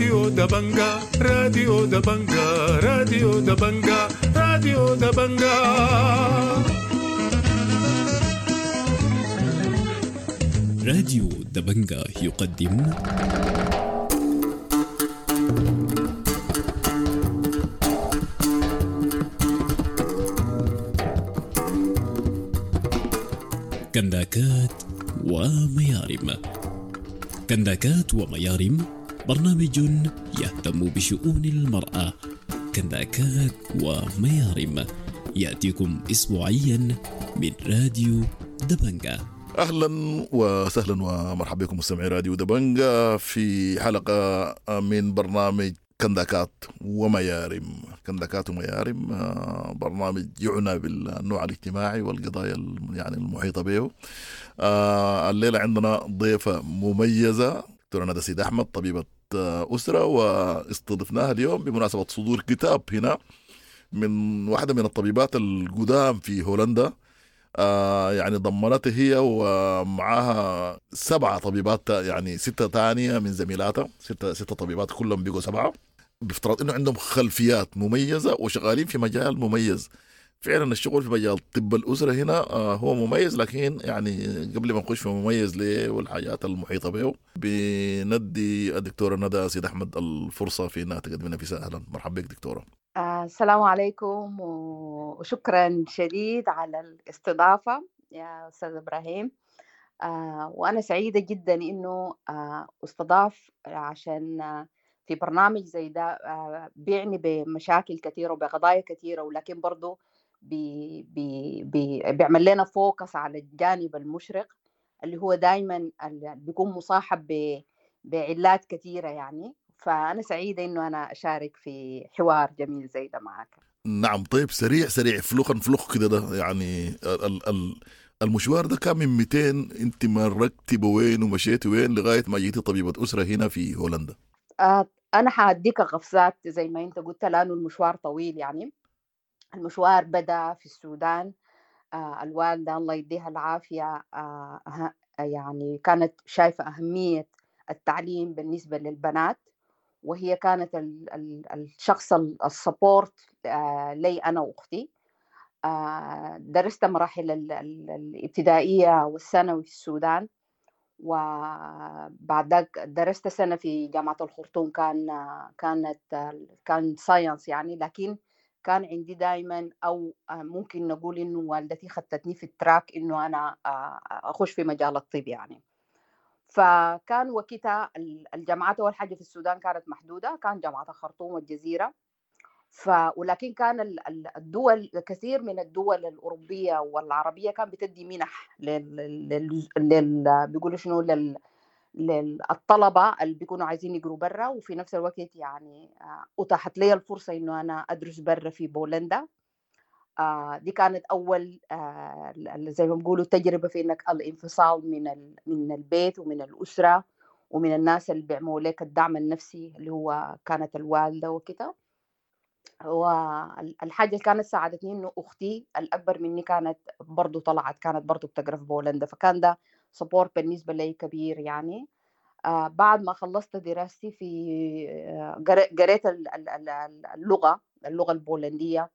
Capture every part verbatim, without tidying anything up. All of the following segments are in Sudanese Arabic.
راديو دبنجا، راديو دبنجا، راديو دبنجا، راديو دبنجا. راديو دبنجا يقدم كنداكات وميارم. كنداكات وميارم برنامج يهتم بشؤون المرأة. كنداكات وميارم يأتيكم أسبوعيا من راديو دبنجا. أهلا وسهلا ومرحبا بكم مستمعي راديو دبنجا في حلقة من برنامج كنداكات وميارم. كنداكات وميارم برنامج يعنى بالنوع الاجتماعي والقضايا يعني المحيطة به. الليلة عندنا ضيفة مميزة، دكتورة ندى سيد أحمد، طبيبة أسرة، واستضفناها اليوم بمناسبة صدور كتاب هنا من واحدة من الطبيبات القدام في هولندا. آه يعني ضمنته هي ومعاها سبعة طبيبات، يعني ستة تانية من زميلاتها، ستة ستة طبيبات كلهم بيقوا سبعة، بافتراض انه عندهم خلفيات مميزة وشغالين في مجال مميز. فعلا الشغل في مجال طب الأسرة هنا آه هو مميز، لكن يعني قبل ما نخش في مميز ليه والحاجات المحيطة به، بندي الدكتورة ندى سيد أحمد الفرصة في انها تقدم لنا في. أهلا مرحبا بك دكتورة. آه، السلام عليكم وشكرا شديد على الاستضافة يا أستاذ إبراهيم. آه، وأنا سعيدة جدا إنه آه، استضاف عشان آه، في برنامج زي ده آه، بيعني بمشاكل كثيرة وبقضايا كثيرة، ولكن برضو بي بي بي بيعمل لنا focus على الجانب المشرق اللي هو دايما اللي بيكون مصاحب بعلات كثيرة يعني. فأنا سعيدة إنه أنا أشارك في حوار جميل زي ده معك. نعم. طيب سريع سريع فلوخا فلوخ كده، ده يعني ال ال المشوار ده كان من مئتين، أنت مرقتي بوين ومشيتي وين لغاية ما جيتي طبيبة أسرة هنا في هولندا؟ آه أنا حأديك قفزات زي ما أنت قلت، لأنه المشوار طويل. يعني المشوار بدأ في السودان. آه الوالدة الله يديها العافية آه يعني كانت شايفة أهمية التعليم بالنسبة للبنات، وهي كانت ال ال الشخص ال support آه لي أنا وأختي. آه درست مراحل ال ال الابتدائية والثانوي في السودان، وبعد ذاك درست سنة في جامعة الخرطوم، كان كانت كان science يعني. لكن كان عندي دائما، أو ممكن نقول إنه والدتي خدتني في ال track إنه أنا أخش في مجال الطب يعني. فكان وقتها الجامعات أول حاجة في السودان كانت محدودة، كان جامعة الخرطوم والجزيرة. ف ولكن كان الدول، كثير من الدول الأوروبية والعربية كان بتدي منح لل لل, لل... بيقولوا شنو لل... للطلبة اللي بيكونوا عايزين يقروا برا. وفي نفس الوقت يعني أتاحت لي الفرصة إنه أنا أدرس برا في بولندا. آه دي كانت أول آه زي ما بيقولوا تجربة في إنك الانفصال من ال... من البيت ومن الأسرة ومن الناس اللي بيعملوا لك الدعم النفسي اللي هو كانت الوالدة وكده. والحاجة اللي كانت ساعدتني إنه أختي الأكبر مني كانت برضو طلعت، كانت برضو بتقرأ في بولندا، فكان ده support بالنسبة لي كبير يعني. آه بعد ما خلصت دراستي في آه قريت اللغة اللغة البولندية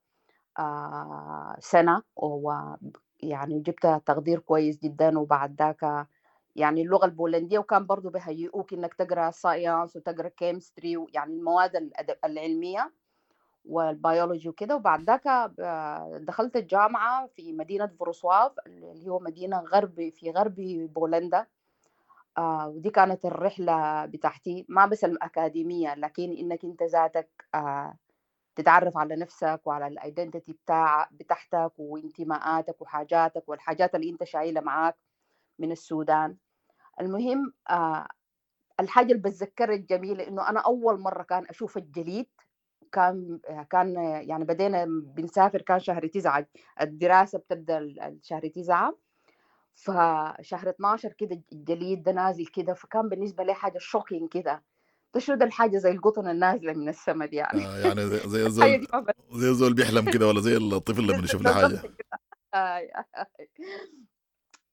آه سنة، ويعني جبت تقدير كويس جدا. وبعد ذاك يعني اللغة البولندية، وكان برضو بهيئوك إنك تقرأ science وتقرأ chemistry، يعني المواد العلمية والبيولوجي وكده. وبعد ذاك دخلت الجامعة في مدينة فروسواف اللي هو مدينة غرب في غرب بولندا. آه ودي كانت الرحلة بتاعتي، ما بس الأكاديمية، لكن إنك أنت ذاتك آه تتعرف على نفسك وعلى ال identity بتاع بتاعتك وانتماءاتك وحاجاتك والحاجات اللي انت شايلها معاك من السودان. المهم آه الحاجة اللي بتذكرها الجميلة إنه أنا أول مرة كان أشوف الجليد، كان كان يعني بدينا بنسافر، كان شهر تسعة، الدراسة بتبدأ شهر تسعة، فشهر اثناشر كده الجليد ده نازل كده، فكان بالنسبة لي حاجة shocking كده. تشوف الحاجة زي القطن النازلة من السما دي يعني. آه يعني زي زي الزول زي الزول بيحلم كده، ولا زي الطفل لما يشوف له حاجة.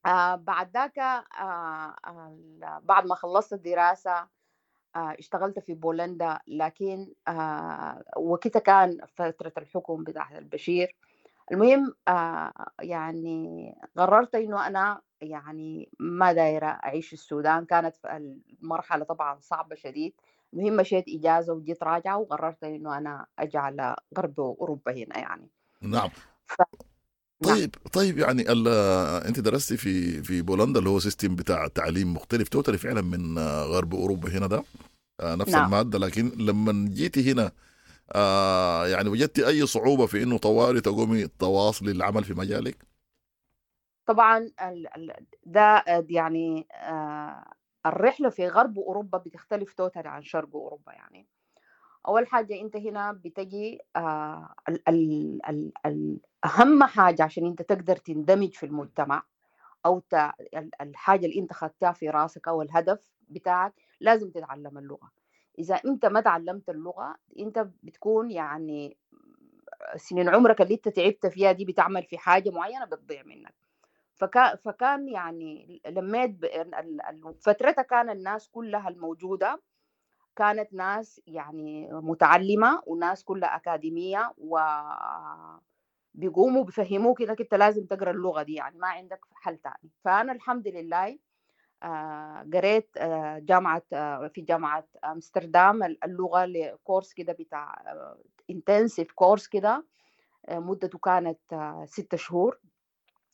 آه بعد ذاك آه بعد ما خلصت الدراسة آه، اشتغلت في بولندا، لكن آه، وقتها كان فترة الحكم بتاع البشير. المهم آه، يعني قررت إنه أنا يعني ما دايرة أعيش في السودان. كانت المرحلة طبعا صعبة شديد. المهم مشيت إجازة وجيت راجعة، وقررت إنه أنا أجي على غرب أوروبا هنا يعني. نعم. ف... نعم. طيب طيب يعني ال- انت درستي في في بولندا اللي هو system بتاع تعليم مختلف totally فعلا من آه، غرب اوروبا هنا ده، آه، نفس نعم. المادة، لكن لما جيتي هنا آه، يعني وجدتي اي صعوبة في انه طوالي تقومي تواصلي العمل في مجالك؟ طبعا ال- ال- ده يعني آه، الرحلة في غرب أوروبا بتختلف totally عن شرق أوروبا. يعني أول حاجة أنت هنا بتجي آه، ال ال ال ال أهم حاجة عشان أنت تقدر تندمج في المجتمع أو ت- ال- الحاجة اللي أنت خدتها في راسك أو الهدف بتاعك، لازم تتعلم اللغة. إذا أنت ما تعلمت اللغة أنت بتكون يعني سنين عمرك اللي أنت تعبت فيها دي بتعمل في حاجة معينة بتضيع منك. فكان فكان يعني لميت ب- ال- ال- فترتها كان الناس كلها الموجودة كانت ناس يعني متعلمة وناس كلها أكاديمية، وبيقوموا بيفهموك إنك أنت لازم تقرأ اللغة دي، يعني ما عندك حل تاني. فأنا الحمد لله آه، قريت آه، جامعة آه، في جامعة أمستردام اللغة لكورس كده بتاع intensive course كده، آه، مدته كانت آه، ستة شهور.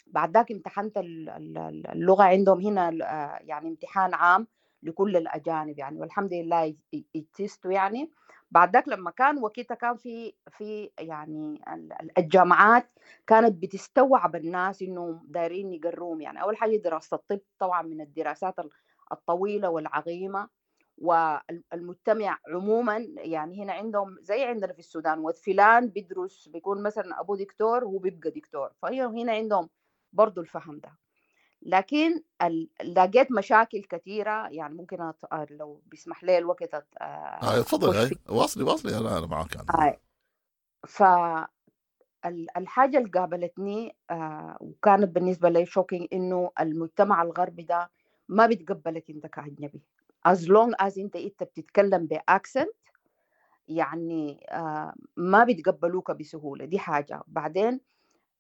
بعد ذاك امتحنت ال- ال- اللغة عندهم هنا، آه، يعني امتحان عام لكل الأجانب يعني، والحمد لله اجتزته يعني. بعد ذاك لما كان وقتها كان في في يعني ال- ال- الجامعات كانت بتستوعب الناس انه دايرين يقروهم. يعني اول حاجة دراسة الطب طبعا من الدراسات ال- الطويلة والعظيمه، والمجتمع عموما يعني هنا عندهم زي عندنا في السودان، وفلان بيدرس بيكون مثلا ابوه دكتور وهو بيبقى دكتور، فهي هنا عندهم برضو الفهم ده. لكن ال- لقيت مشاكل كثيرة يعني، ممكن أت... لو بيسمح لي الوقت أت... آه تفضل، أخش هاي فيه. واصلي واصلي، انا انا معك يعني. آه. فالحاجة اللي قابلتني آه وكانت بالنسبة لي shocking، إنه المجتمع الغربي ده ما بيتقبلك أنت كأجنبي as long as أنت أنت بتتكلم ب accent، يعني آه ما بيتقبلوك بسهولة. دي حاجة. بعدين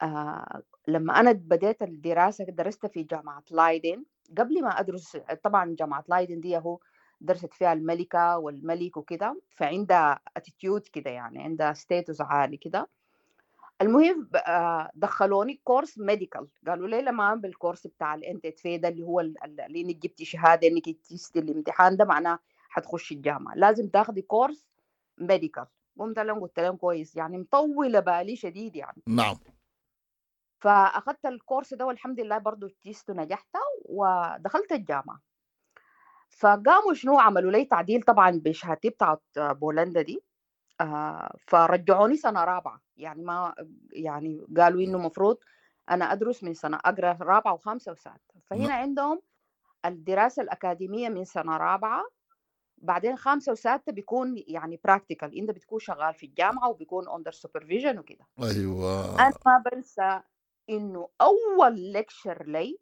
آه لما أنا بديت الدراسة درست في جامعة لايدن. قبل ما أدرس طبعا جامعة لايدن دي هو درست فيها الملكة والملك وكده، فعندها attitude كده يعني عندها status عالي كده. المهم آه، دخلوني course medical، قالوا لي لما بال course بتاع ال إن تي في ده اللي هو ال- ال- اللي انك جبتي شهادة انك اجتزتي الامتحان ده معناه حتخشي الجامعة، لازم تاخدي course medical. قمت لهم قلت لهم كويس، يعني مطولة بالي شديد يعني. نعم. فاخذت ال course ده والحمد لله برضو اجتزت ونجحت ودخلت الجامعة. فقاموا شنو عملوا لي تعديل طبعا بشهادتي بتاعت بولندا دي، آه، فرجعوني سنة رابعه. يعني ما يعني قالوا انه المفروض انا ادرس من سنة اقرا رابعه وخامسه وسادسه. فهنا عندهم الدراسة الاكاديمية من سنة رابعه، بعدين خامسة وسادسه بيكون يعني practical، انت بتكون شغال في الجامعة وبيكون under supervision وكده. ايوه. انا ما بنسى انه اول lecture لي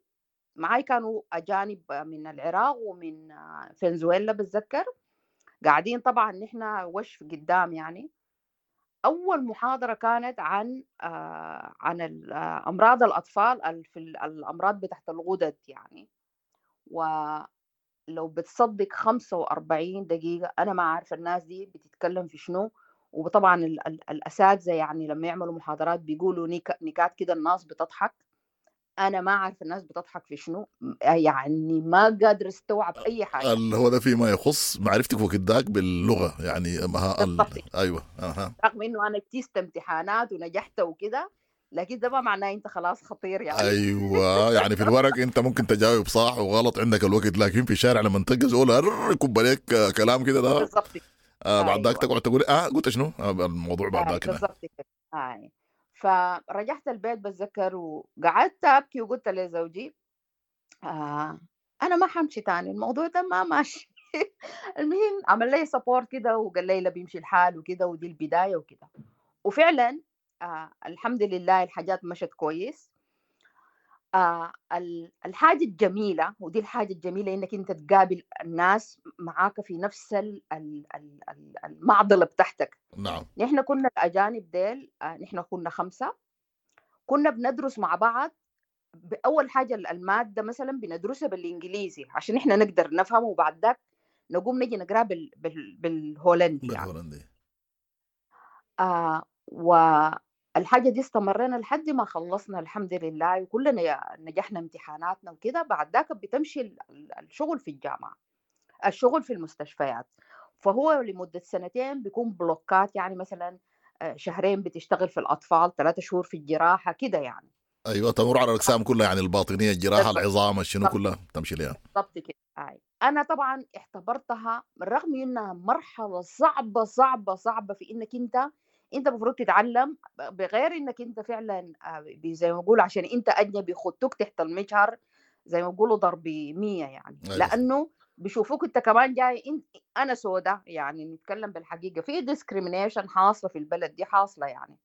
معاي كانوا اجانب من العراق ومن فنزويلا بتذكر، قاعدين طبعا نحن وش قدام يعني. اول محاضرة كانت عن آه عن امراض الاطفال في الامراض بتاعت الغدد يعني. ولو بتصدق خمسة وأربعين دقيقة انا ما عارفه الناس دي بتتكلم في شنو. وطبعا ال ال الاساتذة يعني لما يعملوا محاضرات بيقولوا نك نكات كده الناس بتضحك، انا ما عارفه الناس بتضحك في شنو، يعني ما قادر استوعب اي حاجة. اللي هو ده فيما يخص معرفتك وكداك باللغة يعني ما ال... ايوه اها. رغم انه انا اجتزت امتحانات ونجحت وكده، لكن ده ما معناه انت خلاص خطير يعني. ايوه يعني في الورق انت ممكن تجاوب صح وغلط عندك الوقت، لكن في الشارع لما تلقى زول يكب عليك كلام كده ده بالضبط. آه بعد ذاك تقعد تقول اه قلت شنو آه الموضوع بعد ذاك بالضبط كده. آه. فرجعت البيت بتذكر وقعدت ابكي وقلت لزوجي آه انا ما حمشي تاني، الموضوع ده ما ماشي. المهم عمل لي support كده وقال لي لا بيمشي الحال وكده ودي البداية وكده. وفعلا آه الحمد لله الحاجات مشت كويس. آه ال- الحاجة الجميلة، ودي الحاجة الجميلة إنك أنت تقابل الناس معاك في نفس ال- ال- ال- ال- المعضلة بتاعتك. نعم. نحن كنا الأجانب ديل، آه نحن كنا خمسة، كنا بندرس مع بعض. أول حاجة المادة مثلا بندرسها بالإنجليزي عشان إحنا نقدر نفهم، وبعد ذاك نقوم نجي نقرأ بال... بال... بالهولندي يعني. بالهولندي. آه والحاجة دي استمرينا لحد ما خلصنا الحمد لله، وكلنا نجحنا امتحاناتنا وكده. بعد ذاك بتمشي الشغل في الجامعة، الشغل في المستشفيات، فهو لمدة سنتين بيكون بلوكات، يعني مثلا شهرين بتشتغل في الأطفال، ثلاثة شهور في الجراحة كده يعني. ايوه، تمر على الاقسام كلها يعني، الباطنية، الجراحة، العظام، الشنو كلها تمشي لها. بالضبط كده. آي. انا طبعا اعتبرتها بالرغم انها مرحلة صعبة صعبة صعبة في انك انت انت المفروض تتعلم، بغير انك انت فعلا زي ما بيقولوا عشان انت اجنبي خدتوك تحت المجهر زي ما بيقولوا ضرب مية يعني. أيوة. لانه بيشوفوك انت كمان جاي انت انا سودا يعني، نتكلم بالحقيقة في discrimination حاصله في البلد دي، حاصله يعني.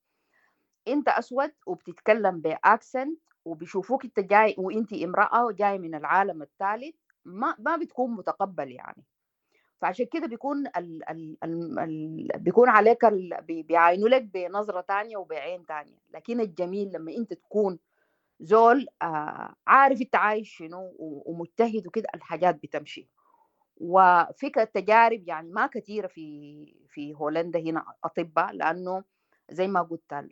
انت اسود وبتتكلم ب accent، وبيشوفوك انت جاي وانت امراة وجاي من العالم الثالث، ما ما بتكون متقبل يعني. فعشان كده بيكون ال ال ال ال بيكون عليك ال بيعاينوا لك بنظره تانية وبعين تانية. لكن الجميل لما انت تكون زول آه عارف انت عايش شنو ومجتهد وكده، الحاجات بتمشي. وفي تجارب يعني ما كثيرة في في هولندا هنا اطباء، لانه زي ما قلت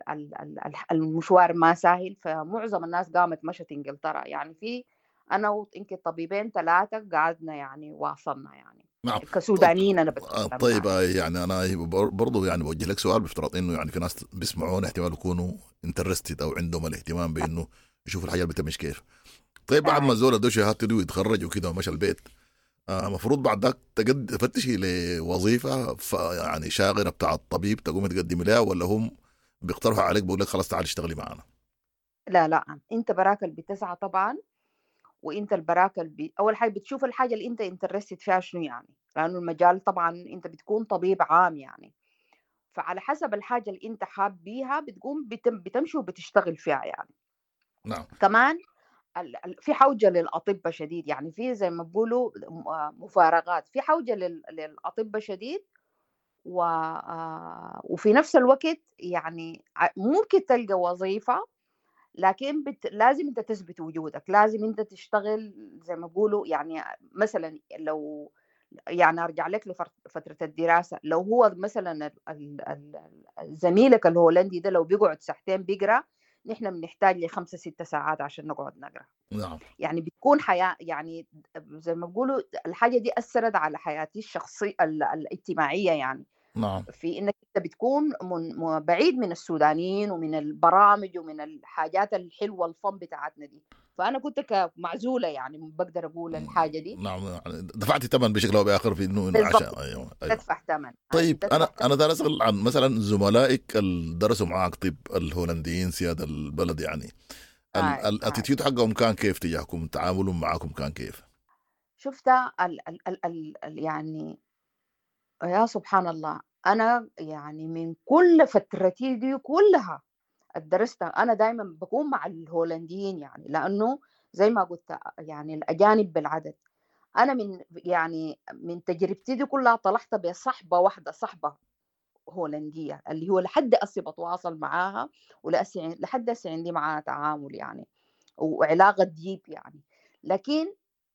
المشوار ما سهل، فمعظم الناس قامت مشت انجلترا يعني. في انا ويمكن طبيبين ثلاثة قعدنا يعني واصلنا يعني. نعم. كسودانيين. انا بتكلم. طيب يعني انا برضو يعني بوجه لك سؤال، بافتراض انه يعني في ناس بيسمعونا احتمال يكونوا interested او عندهم الاهتمام بانه يشوفوا الحاجات بتمشي كيف. طيب بعد ما الزول ادوا شهادته دي ويتخرج وكده ومشى البيت، المفروض آه بعد ذاك تقد تفتشي لوظيفة يعني شاغره بتاع الطبيب تقوم تقدمي لها، ولا هم بيقترحوا عليك بيقول لك خلاص تعال اشتغلي معنا؟ لا لا، انت براك اللي بتسعى طبعا، وانت البراك اللي اول حاجة بتشوف الحاجة اللي انت interested فيها شنو يعني، لانه المجال طبعا انت بتكون طبيب عام يعني، فعلى حسب الحاجة اللي انت حاب بيها بتقوم بتم بتمشي وبتشتغل فيها يعني. نعم. كمان في حوجه للاطباء شديد يعني، في زي ما بيقولوا مفارقات، في حوجه للاطباء شديد، و وفي نفس الوقت يعني ممكن تلقى وظيفة، لكن بت... لازم انت تثبت وجودك، لازم انت تشتغل زي ما بيقولوا يعني. مثلا لو يعني ارجع لك لفترة الدراسة، لو هو مثلا ال... ال... زميلك الهولندي ده لو بيقعد ساعتين بيقرا، نحن بنحتاج لخمسة ستة ساعات عشان نقعد نقرا. نعم. يعني بتكون حياة يعني زي ما بيقولوا الحاجة دي أثرت على حياتي الشخصية الاجتماعية يعني. نعم. في إنك أنت بتكون من بعيد من السودانيين ومن البرامج ومن الحاجات الحلوة الفن بتاعتنا دي، فأنا كنت كمعزولة يعني، بقدر أقول الحاجة دي. نعم، دفعتي ثمن بشكل أو بآخر في إنه عشان أيوه أيوه تدفع ثمن. طيب أنا أنا دار أسأل عن مثلا زملائك اللي درسوا معاك طب الهولنديين سيادة البلد يعني، ال attitude حقهم كان كيف تجاهكم، تعاملهم معاكم كان كيف؟ شفت ال ال ال ال يعني يا سبحان الله، أنا يعني من كل فترتي دي كلها درستها أنا دايما بكون مع الهولنديين يعني، لأنه زي ما قلت يعني الأجانب بالعدد. أنا من يعني من تجربتي دي كلها طلعت بصحبة واحدة، صحبة هولندية اللي هو لحد أسي بتواصل معاها، ولأسي لحد أسي عندي معاها تعامل يعني وعلاقة ديب يعني. لكن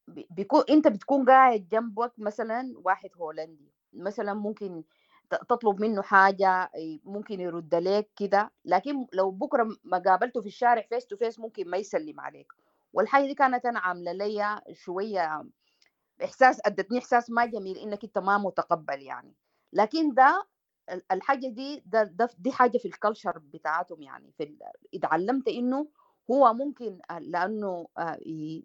بيكون أنت بتكون قاعد جنبك مثلا واحد هولندي مثلا، ممكن تطلب منه حاجة ممكن يرد لك كده، لكن لو بكرة ما قابلته في الشارع face to face ممكن ما يسلم عليك. والحاجة دي كانت أنا عاملة لي شوية إحساس، أدتني إحساس ما جميل إنك أنت ما متقبل يعني. لكن ده الحاجة دي ده, ده دي حاجة في ال culture بتاعتهم يعني. في اتعلمت إنه هو ممكن لأنه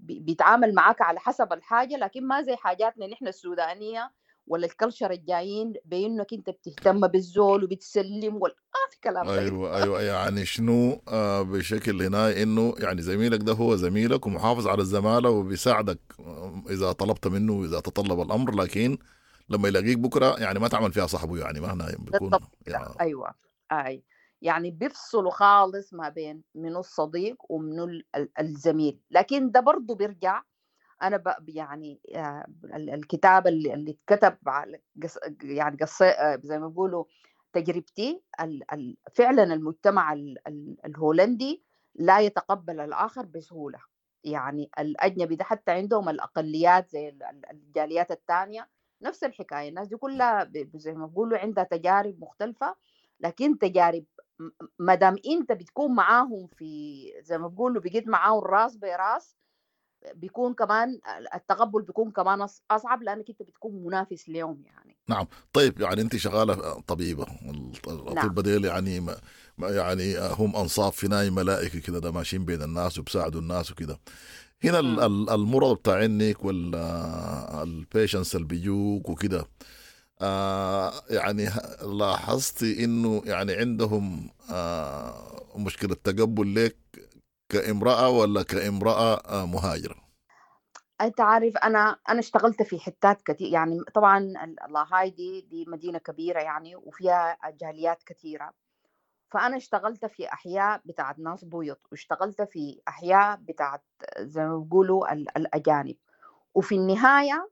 بيتعامل معاك على حسب الحاجة، لكن ما زي حاجاتنا نحن السودانية ولا ال culture الجايين بانك انت بتهتم بالزول وبتسلم ولا ما في كلام. ايوه ايوه يعني شنو آه بشكل هنا انه يعني زميلك ده هو زميلك ومحافظ على الزمالة وبيساعدك اذا طلبت منه واذا تطلب الامر، لكن لما يلاقيك بكره يعني ما تعمل فيها صاحبه يعني، ما هنا بيكون يعني. ايوه اي يعني بيفصلوا خالص ما بين منو الصديق ومنو ال- ال- الزميل. لكن ده برضو بيرجع، انا ب يعني آه، ال- الكتاب اللي اللي اتكتب على قص يعني قص آه، زي ما بيقولوا تجربتي، ال- ال- فعلا المجتمع ال- ال- الهولندي لا يتقبل الآخر بسهولة. يعني الأجنبي ده حتى عندهم الأقليات زي ال- ال- الجاليات الثانية نفس الحكاية، الناس دي كلها ب- زي ما بيقولوا عندها تجارب مختلفة، لكن تجارب ما دام انت بتكون معاهم في زي ما بيقولوا بقيت معاهم راس براس، بيكون كمان التقبل بيكون كمان اصعب لانك انت بتكون منافس لهم يعني. نعم. طيب يعني انت شغالة طبيبه، الاطباء نعم. ديل يعني ما يعني هم انصاف في ناي ملائكة كده، ده ماشيين بين الناس وبساعدوا الناس وكده. هنا مم. المرض بتاع عينك ولا ال patients اللي بيجوك وكده، آه يعني لاحظتي انه يعني عندهم آه مشكلة تقبل لك كامراة ولا كامراة آه مهاجرة؟ انت عارف انا انا اشتغلت في حتات كثير يعني، طبعا لاهاي دي دي مدينة كبيرة يعني وفيها جاليات كثيرة، فانا اشتغلت في احياء بتاعت ناس بيض، واشتغلت في احياء بتاعت زي ما بيقولوا الاجانب، وفي النهاية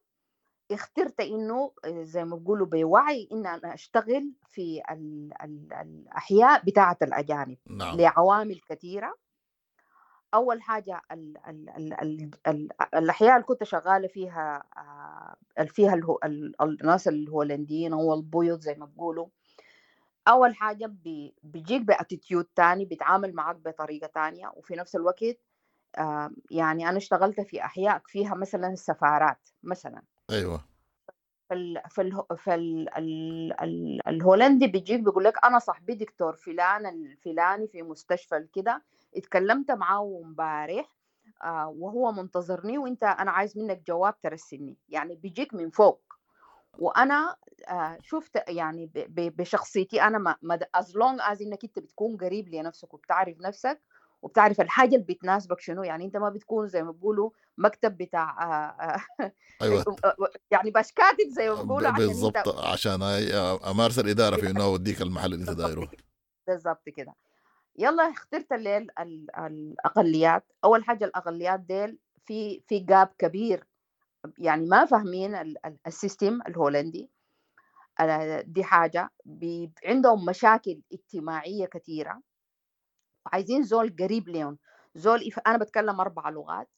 اخترت انه زي ما بيقولوا بوعي ان انا اشتغل في ال ال الاحياء بتاعت الاجانب. نعم. لعوامل كثيرة. اول حاجة ال ال ال ال ال الاحياء اللي كنت شغالة فيها فيها الهو ال الناس الهولنديين او البيض زي ما بيقولوا، اول حاجة بيجيك ب attitude تاني، بيتعامل معك بطريقة تانية، وفي نفس الوقت يعني انا اشتغلت في احياء فيها مثلا سفارات مثلا. ايوه. فال فال فال ال ال الهولندي بيجيك بيقول لك انا صاحبي دكتور فلان الفلاني في مستشفى كده، اتكلمت معاه امبارح آه وهو منتظرني، وانت انا عايز منك جواب ترسلني، يعني بيجيك من فوق. وانا آه شفت يعني بشخصيتي انا ما as long as انك انت بتكون قريب لنفسك وبتعرف نفسك وبتعرف الحاجة اللي بتناسبك شنو، يعني انت ما بتكون زي ما بيقولوا مكتب بتاع آه آه ايوه يعني باش كاتب زي ما بيقولوا، عشان بالضبط عشان امارس الادارة في انه اوديك المحل اللي انت دايرة. بالضبط كده. يلا اخترت الليل الاقليات. اول حاجة الاقليات ديل في في gap كبير، يعني ما فاهمين ال system الهولندي، دي حاجة. عندهم مشاكل اجتماعية كثيرة، عايزين زول قريب لهم، زول يف... انا بتكلم اربع لغات،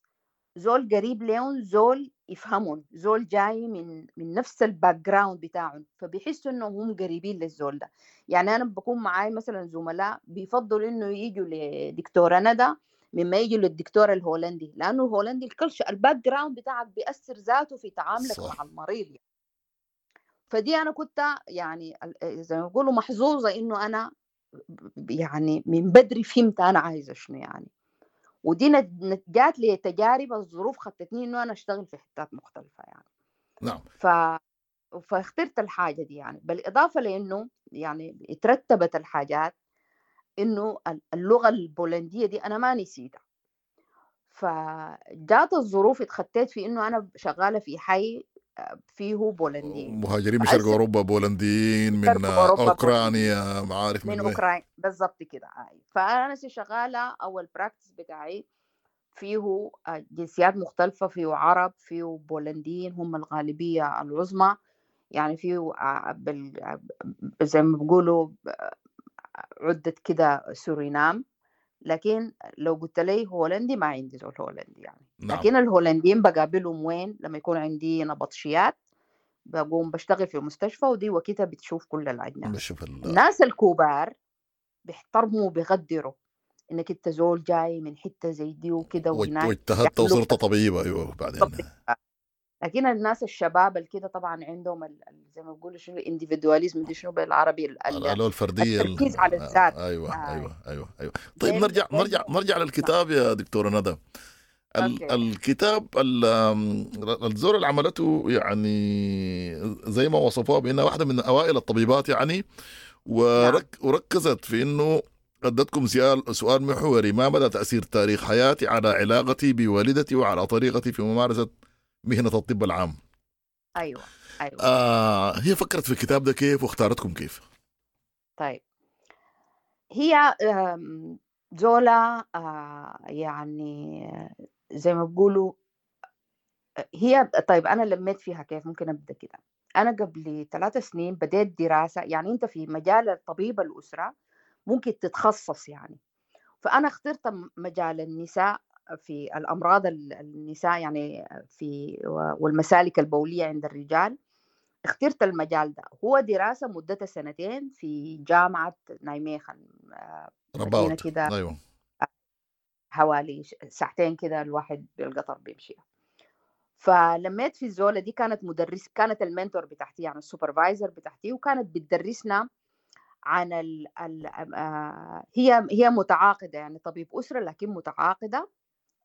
زول قريب لهم، زول يفهمون، زول جاي من من نفس ال background بتاعهم، فبيحسوا انه هم قريبين للزول ده. يعني انا بكون معاي مثلا زملاء بيفضلوا انه يجوا لدكتوره ندى مما يجوا للدكتور الهولندي، لانه الهولندي ال culture ال background بتاعك بيأثر ذاته في تعاملك صح. مع المريض يعني. فدي انا كنت يعني زي ما بيقولوا محظوظة انه انا يعني من بدري فهمت انا عايزه شنو يعني، ودي جات لي تجارب الظروف خطتني انه انا اشتغل في حتات مختلفة يعني. نعم. ف... فاخترت الحاجة دي يعني، بالاضافة لانه يعني اترتبت الحاجات انه اللغة البولنديه دي انا ما نسيتها، فجات الظروف اتخطيت في انه انا شغالة في حي فيه بولنديين، مهاجرين من شرق اوروبا، بولنديين من اوكرانيا، معارف من, من اوكرانيا بالضبط كده. فانا شغالة اول practice بتاعي فيه جنسيات مختلفة، فيه عرب، فيه بولنديين هم الغالبية العظمى يعني، فيه بال... زي ما بيقولوا عده كده سورينام، لكن لو قلت لي هولندي ما عندي زول هولندي يعني. نعم. لكن الهولنديين بقابلهم وين؟ لما يكون عندي نبطشيات بقوم بشتغل في مستشفى، ودي وقتها بتشوف كل الأجناس. بشوف ال... الناس الكبار بيحترموا وبيقدروا انك انت زول جاي من حتة زي دي وكده وهناك، واجتهدت وصرت طبيبه. ايوه بعدين. لكن الناس الشباب الكده طبعا عندهم ال... زي ما بيقولوا شنو ال individualism دي شنو بالعربي، ال... الفردية، التركيز على الذات. ايوه آه. ايوه ايوه ايوه. طيب نرجع نرجع نرجع للكتاب يا دكتورة ندى. ال... الكتاب ال... الزور اللي عملته يعني زي ما وصفوها بانها واحدة من اوائل الطبيبات يعني، ورك... وركزت في انه ادتكم سؤال سؤال محوري: ما مدى تاثير تاريخ حياتي على علاقتي بوالدتي وعلى طريقتي في ممارسة مهنة الطب العام؟ أيوة أيوة. آه هي فكرت في الكتاب ده كيف واختارتكم كيف؟ طيب هي آم، زولا آه، يعني زي ما بيقولوا هي. طيب أنا لميت فيها كيف؟ ممكن أبدأ كده. أنا قبل ثلاث سنين بديت دراسة، يعني أنت في مجال الطبيب الأسرة ممكن تتخصص يعني، فأنا اخترت مجال النساء في الأمراض النساء يعني في والمسالك البولية عند الرجال. اخترت المجال ده، هو دراسة مدتها سنتين في جامعة نايميخن، مدينة كده. أيوة. حوالي ساعتين كده الواحد بالقطر بيمشي. فلميت في الزولة دي، كانت مدرس، كانت ال mentor بتاعتي يعني ال supervisor بتاعتي، وكانت بتدرسنا عن ال ال آه هي هي متعاقدة يعني طبيب أسرة لكن متعاقدة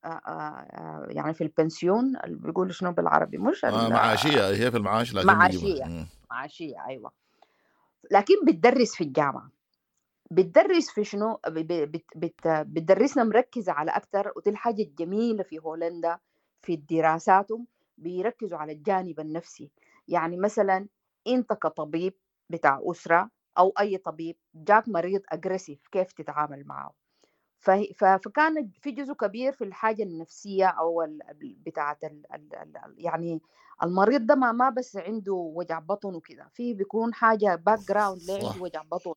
آه آه يعني في البنسيون اللي بيقولوا شنو بالعربي، مش آه معاشية، هي في المعاش لكن معاشية معاشية أيوة، لكن بتدرس في الجامعة. بتدرس في شنو؟ بت بت بتدرسنا مركزة على أكتر، ودي الحاجة الجميلة في هولندا في دراساتهم، بيركزوا على الجانب النفسي. يعني مثلا أنت كطبيب بتاع أسرة أو أي طبيب جاك مريض aggressive كيف تتعامل معه؟ فكان في جزء كبير في الحاجة النفسية أو بتاعة ال ال يعني المريض ده ما ما بس عنده وجع بطن وكده، في بيكون حاجة background ليه عنده وجع بطن.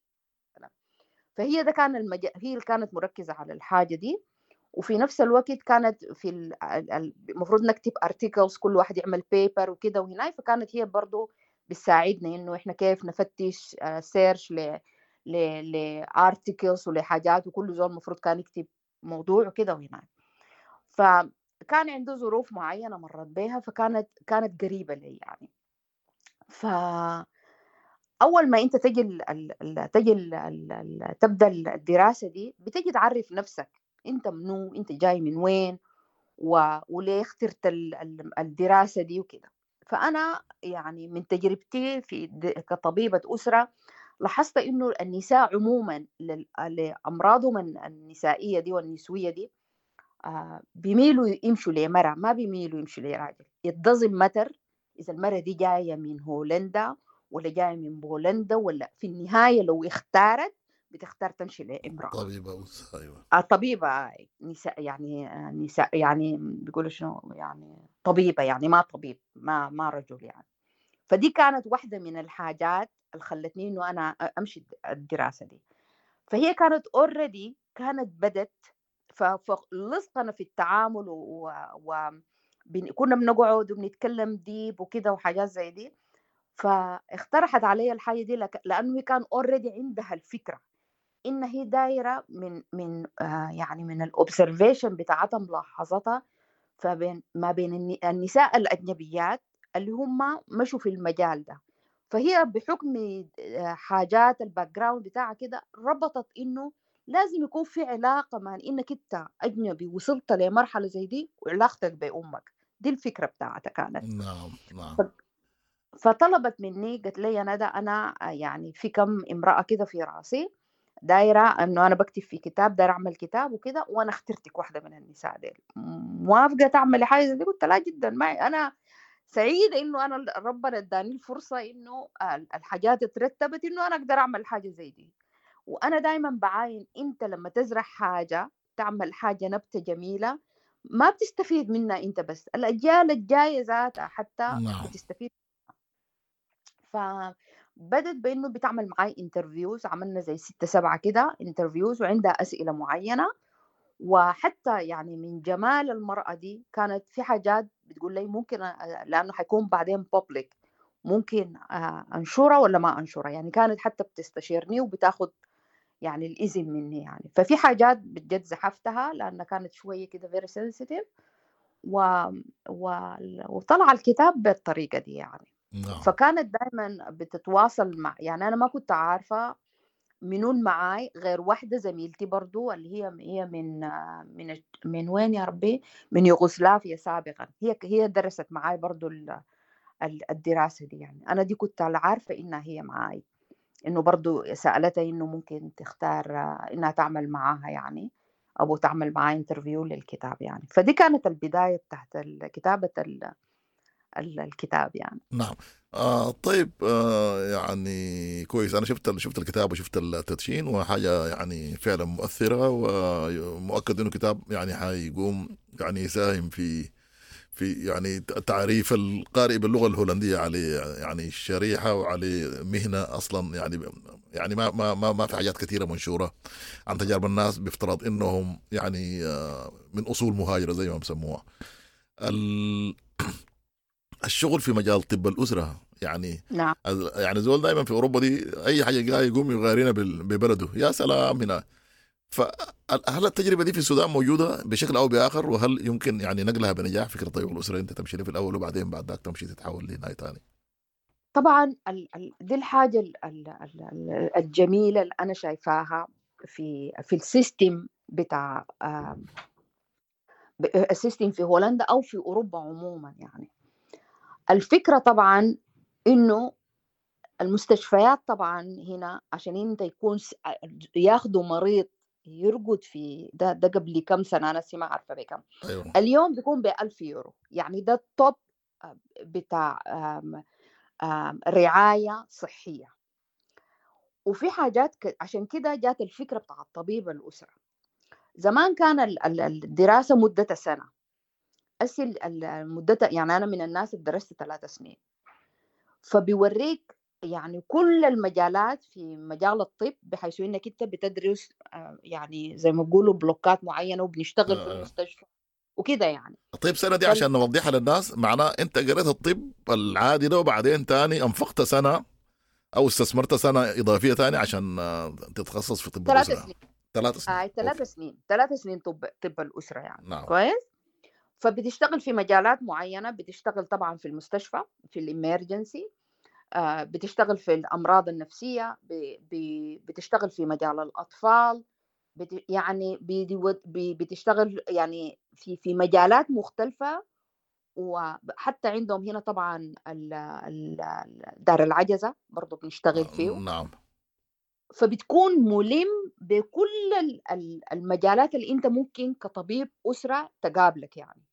فهي ده كان المج... هي اللي كانت مركزة على الحاجة دي. وفي نفس الوقت كانت في المفروض نكتب articles، كل واحد يعمل paper وكده وهنا، فكانت هي برضو بتساعدنا إنه إحنا كيف نفتش search ل ل ل articles ولحاجات، وكل زول المفروض كان يكتب موضوع وكده وهنا. فكان عنده ظروف معينة مرت بها، فكانت كانت قريبة لي يعني. ف أول ما أنت تجي ال ال تجي ال ال تبدأ الدراسة دي، بتجي تعرف نفسك أنت منو، أنت جاي من وين، و... وليه اخترت الدراسة دي وكده. فأنا يعني من تجربتي في كطبيبة أسرة لاحظت إنه النساء عموما لأمراضهم النسائية دي والنسوية دي آه بيميلوا يمشوا لمرأة، ما بيميلوا يمشوا لراجل. It doesn't matter إذا المرأة دي جاية من هولندا ولا جاية من بولندا، ولا في النهاية لو اختارت بتختار تمشي لامرأة طبيبة أسرة. أيوة طبيبة نساء يعني نساء يعني بيقولوا شنو يعني طبيبة، يعني ما طبيب، ما ما رجل يعني. فدي كانت واحدة من الحاجات اللي خلتني إنه أنا أمشي الدراسة دي. فهي كانت already كانت بدت، فلصقنا في التعامل و, و... كنا بنقعد وبنتكلم deep وكده وحاجات زي دي. فاقترحت علي الحاجة دي لك... لأنه هي كان already عندها الفكرة إن هي دايرة من من آه يعني من ال observation بتاعتها، ملاحظتها فبين ما بين النساء الأجنبيات اللي هم مشوا في المجال ده. فهي بحكم حاجات ال background بتاعها كده ربطت إنه لازم يكون في علاقة مع إنك أنت أجنبي وصلت لمرحلة زي دي وعلاقتك بأمك دي، الفكرة بتاعتها كانت. نعم نعم. فطلبت مني، قالت لي يا ندى أنا يعني في كم امرأة كده في راسي دايرة إنه أنا بكتب في كتاب، دايرة أعمل كتاب وكده، وأنا اخترتك واحدة من النساء ديل، موافقة تعملي حاجة زي دي؟ قلت لا جدا، ما أنا سعيدة إنه أنا ربنا اداني الفرصة إنه الحاجات اترتبت إنه أنا أقدر أعمل حاجة زي دي. وأنا دايما بعاين أنت لما تزرع حاجة، تعمل حاجة نبتة جميلة، ما بتستفيد منها أنت بس، الأجيال الجاية ذاتها حتى بتستفيد. فبدت بإنه بتعمل معاي interviews، عملنا زي ستة سبعة كده interviews، وعندها أسئلة معينة. وحتى يعني من جمال المرأة دي كانت في حاجات بتقول لي ممكن، لأنه حيكون بعدين public، ممكن أنشرها ولا ما أنشرها، يعني كانت حتى بتستشيرني وبتاخد يعني الإذن مني يعني. ففي حاجات بجد زحفتها لأنها كانت شوية كده very sensitive، و... و... وطلع الكتاب بالطريقة دي يعني. نعم. فكانت دايما بتتواصل مع، يعني أنا ما كنت عارفة منون معاي غير واحدة زميلتي برضو اللي هي هي من من من وين يا ربي، من يوغوسلافيا سابقا، هي هي درست معاي برضو الدراسة دي يعني. أنا دي كنت عارفة إنها هي معاي، إنه برضو سألتها إنه ممكن تختار إنها تعمل معاها يعني، أو تعمل معاي interview للكتاب يعني. فدي كانت البداية بتاعت كتابة ال- الكتاب يعني. نعم. آه طيب، آه يعني كويس. انا شفت شفت الكتاب وشفت التدشين، وحاجه يعني فعلا مؤثرة، ومؤكد انه كتاب يعني حيقوم يعني يساهم في في يعني تعريف القارئ باللغة الهولندية على يعني الشريحة وعلى مهنة اصلا يعني يعني ما ما ما, ما في حاجات كثيرة منشورة عن تجارب الناس بافتراض انهم يعني آه، من اصول مهاجرة زي ما بسموها. ال- الشغل في مجال طب الاسرة يعني نعم. يعني زول دائما في اوروبا دي اي حاجة جاي يقوم يغارينا بال- ببلده، يا سلام هنا. فهل التجربة دي في السودان موجودة بشكل او باخر؟ وهل يمكن يعني نقلها بنجاح فكرة طبيب الاسرة انت تمشي له في الاول وبعدين بعد ذاك تمشي تتحول لهناي ثاني؟ طبعا ال- ال- دي الحاجة ال- ال- ال- الجميلة اللي أنا شايفاها في في ال system بتاع آم، ب- ال system في هولندا أو في أوروبا عموما. يعني الفكرة طبعا إنه المستشفيات طبعا هنا عشان انت يكون س- ياخدوا مريض يرقد في ده ده قبل كم سنة أنا ما عارفة بكم، ايوه اليوم بيكون بألف يورو. يعني ده ال top بتاع آم، آم، رعاية صحية. وفي حاجات ك... عشان كده جات الفكرة بتاع الطبيب الأسرة. زمان كان ال- ال- الدراسة مدتها سنة، أسي ال- ال- مدتها يعني أنا من الناس اللي درست ثلاث سنين، فبيوريك يعني كل المجالات في مجال الطب، بحيث انك انت بتدرس آه، يعني زي ما بيقولوا بلوكات معينة، وبنشتغل في آه. المستشفى وكده يعني. طيب سنة دي فال- عشان نوضحها للناس، معناه انت قريت الطب العادي ده وبعدين تاني انفقت سنة او استثمرت سنة اضافية تاني عشان آه، تتخصص في طب ثلاث الاسرة. سنين. ثلاث سنين. آه ثلاث okay. سنين، ثلاث سنين طب طب الاسرة يعني. نعم. كويس. فبتشتغل في مجالات معينة، بتشتغل طبعا في المستشفى في ال emergency، آه، بتشتغل في الامراض النفسية، ب- ب- بتشتغل في مجال الاطفال، بت يعني بيدي- بي- بتشتغل يعني في في مجالات مختلفة. وحتى عندهم هنا طبعا ال- ال- ال- دار العجزة برضو بنشتغل فيه. نعم. فبتكون ملم بكل ال- ال- المجالات اللي انت ممكن كطبيب أسرة تقابلك يعني.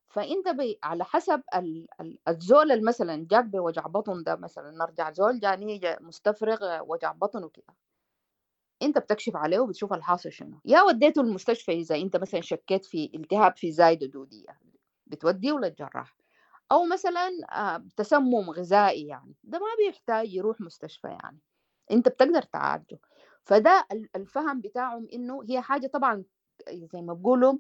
فانت بي على حسب ال- ال- الزول اللي مثلا جاك بوجع بطن ده، مثلا نرجع زول جاني جا مستفرغ وجع بطن وكده، انت بتكشف عليه وبتشوف الحاصل شنو، يا وديته المستشفى اذا انت مثلا شكيت في التهاب في زايدة دوديه بتوديه للجراح، او مثلا آه، تسمم غذائي يعني ده ما بيحتاج يروح مستشفى يعني، انت بتقدر تعالجه. فده ال- الفهم بتاعهم انه هي حاجة طبعا زي ما بيقولوا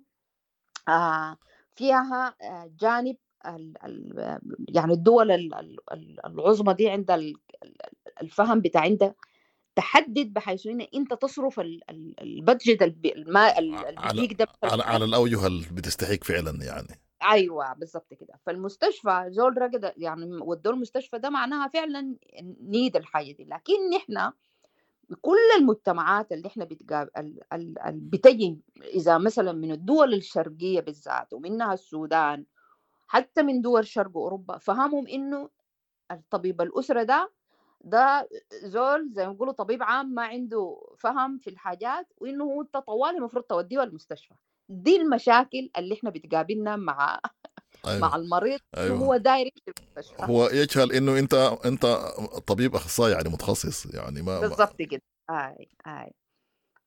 آه، فيها آه، جانب ال ال يعني الدول ال- ال- ال- العظمى دي عندها ال- ال- الفهم بتاع عندها تحدد بحيث ان انت تصرف ال- ال- ال budget الب- الماء ال- اللي على بيجيك ده على على الاوجه اللي بتستحق فعلا يعني. ايوه بالضبط كده. فالمستشفى زول رقد يعني ودوه المستشفى ده معناها فعلا need الحاجة دي. لكن نحن كل المجتمعات اللي احنا بتقاب... ال... ال... ال... بتجي اذا مثلا من الدول الشرقية بالذات ومنها السودان، حتى من دول شرق اوروبا، فهمهم انه الطبيب الاسرة ده ده زول زي ما بيقولوا طبيب عام ما عنده فهم في الحاجات، وانه هو انت طوالي المفروض توديه المستشفى. دي المشاكل اللي احنا بتقابلنا مع مع ايوه المريض، انه ايوه هو داير يمشي المستشفى. هو يجهل انه انت انت طبيب اخصائي يعني متخصص يعني ما, ما بالضبط كده. اي اي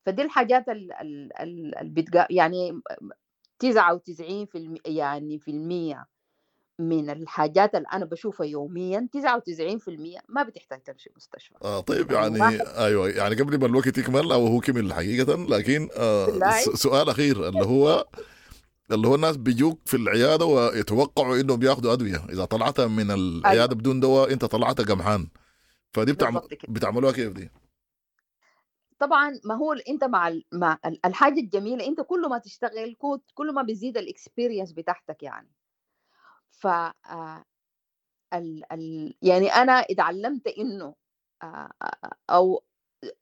فدي الحاجات اللي بتقا يعني تسعة وتسعين في الم... يعني في المية من الحاجات اللي أنا بشوفها يوميا، تسعة وتسعين في المية ما بتحتاج تمشي مستشفى. آه طيب يعني يعني واحد ايوه يعني قبل ما الوقت يكمل او هو كمل حقيقة، لكن آه بالله س- سؤال اخير اللي هو اللي هو الناس بيجوك في العيادة ويتوقعوا انهم بياخذوا ادوية، اذا طلعتها من العيادة أيوه بدون دواء انت طلعتها قمحان، فدي بتعم... بالضبط كده. بتعملوها كيف دي؟ طبعا ما هو ال- انت مع ال- مع ال- الحاجة الجميلة، انت كل ما تشتغل كو- كل ما بيزيد ال experience بتاعتك يعني. ف آه، ال ال يعني انا اتعلمت انه آه، آه، او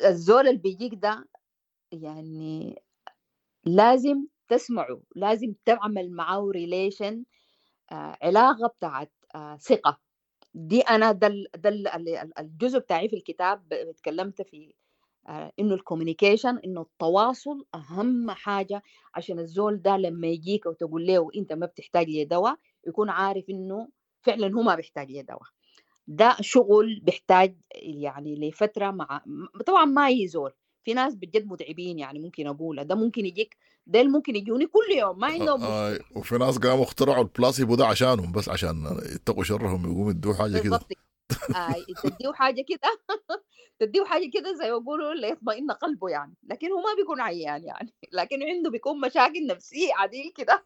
الزول اللي بيجيك ده يعني لازم تسمعه، لازم تعمل معاه relation، علاقة بتاعت آه، ثقة. دي انا ده ال- ده ال- ال- الجزء بتاعي في الكتاب، اتكلمت في آه، انه ال communication، انه التواصل اهم حاجة، عشان الزول ده لما يجيك وتقول له انت ما بتحتاج لدواء يكون عارف انه فعلا هو ما بيحتاج لدواء. ده شغل بيحتاج يعني لفترة مع طبعا ما يزول، في ناس بجد متعبين يعني، ممكن اقولها ده ممكن يجيك، ده ممكن يجوني كل يوم ما عندهم آه مشكلة. وفي ناس قاموا اخترعوا البلاسيبو ده عشانهم بس، عشان يتقوا شرهم يقوموا يدوه حاجة كده. بالضبط. آه تديه حاجة كده تديه حاجة كده زي ما يقولوا ليطمئن قلبه يعني، لكن هو ما بيكون عيان يعني، لكن عنده بيكون مشاكل نفسية عديل كده.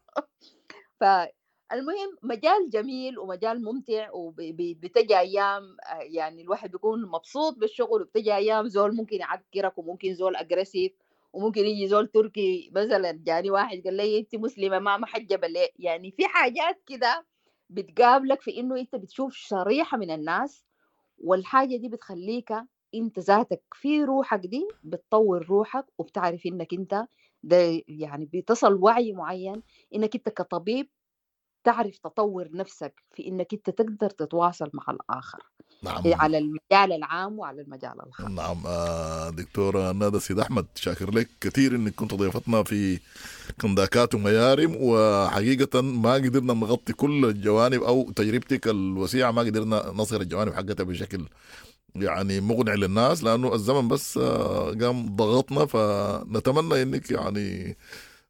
فالمهم مجال جميل ومجال ممتع، وبتجي ايام يعني الواحد بيكون مبسوط بالشغل، وبتجي ايام زول ممكن يعكرك، وممكن زول aggressive، وممكن يجي زول تركي مثلا. جاني واحد قال لي انت مسلمة ما محجبة ليه؟ يعني في حاجات كده بتقابلك في انه انت بتشوف شريحة من الناس، والحاجة دي بتخليك انت ذاتك في روحك دي بتطور روحك، وبتعرف انك انت ده يعني بتصل وعي معين انك انت كطبيب تعرف تطور نفسك في انك انت تقدر تتواصل مع الاخر. نعم. على المجال العام وعلى المجال الخاص. نعم. آه، دكتورة ندى سيد أحمد، شاكر لك كثير انك كنت ضيفتنا في كنداكات وميارم، وحقيقة ما قدرنا نغطي كل الجوانب او تجربتك الوسيعة، ما قدرنا نصل الجوانب حقتها بشكل يعني مقنع للناس، لانه الزمن بس آه، قام ضغطنا. فنتمنى انك يعني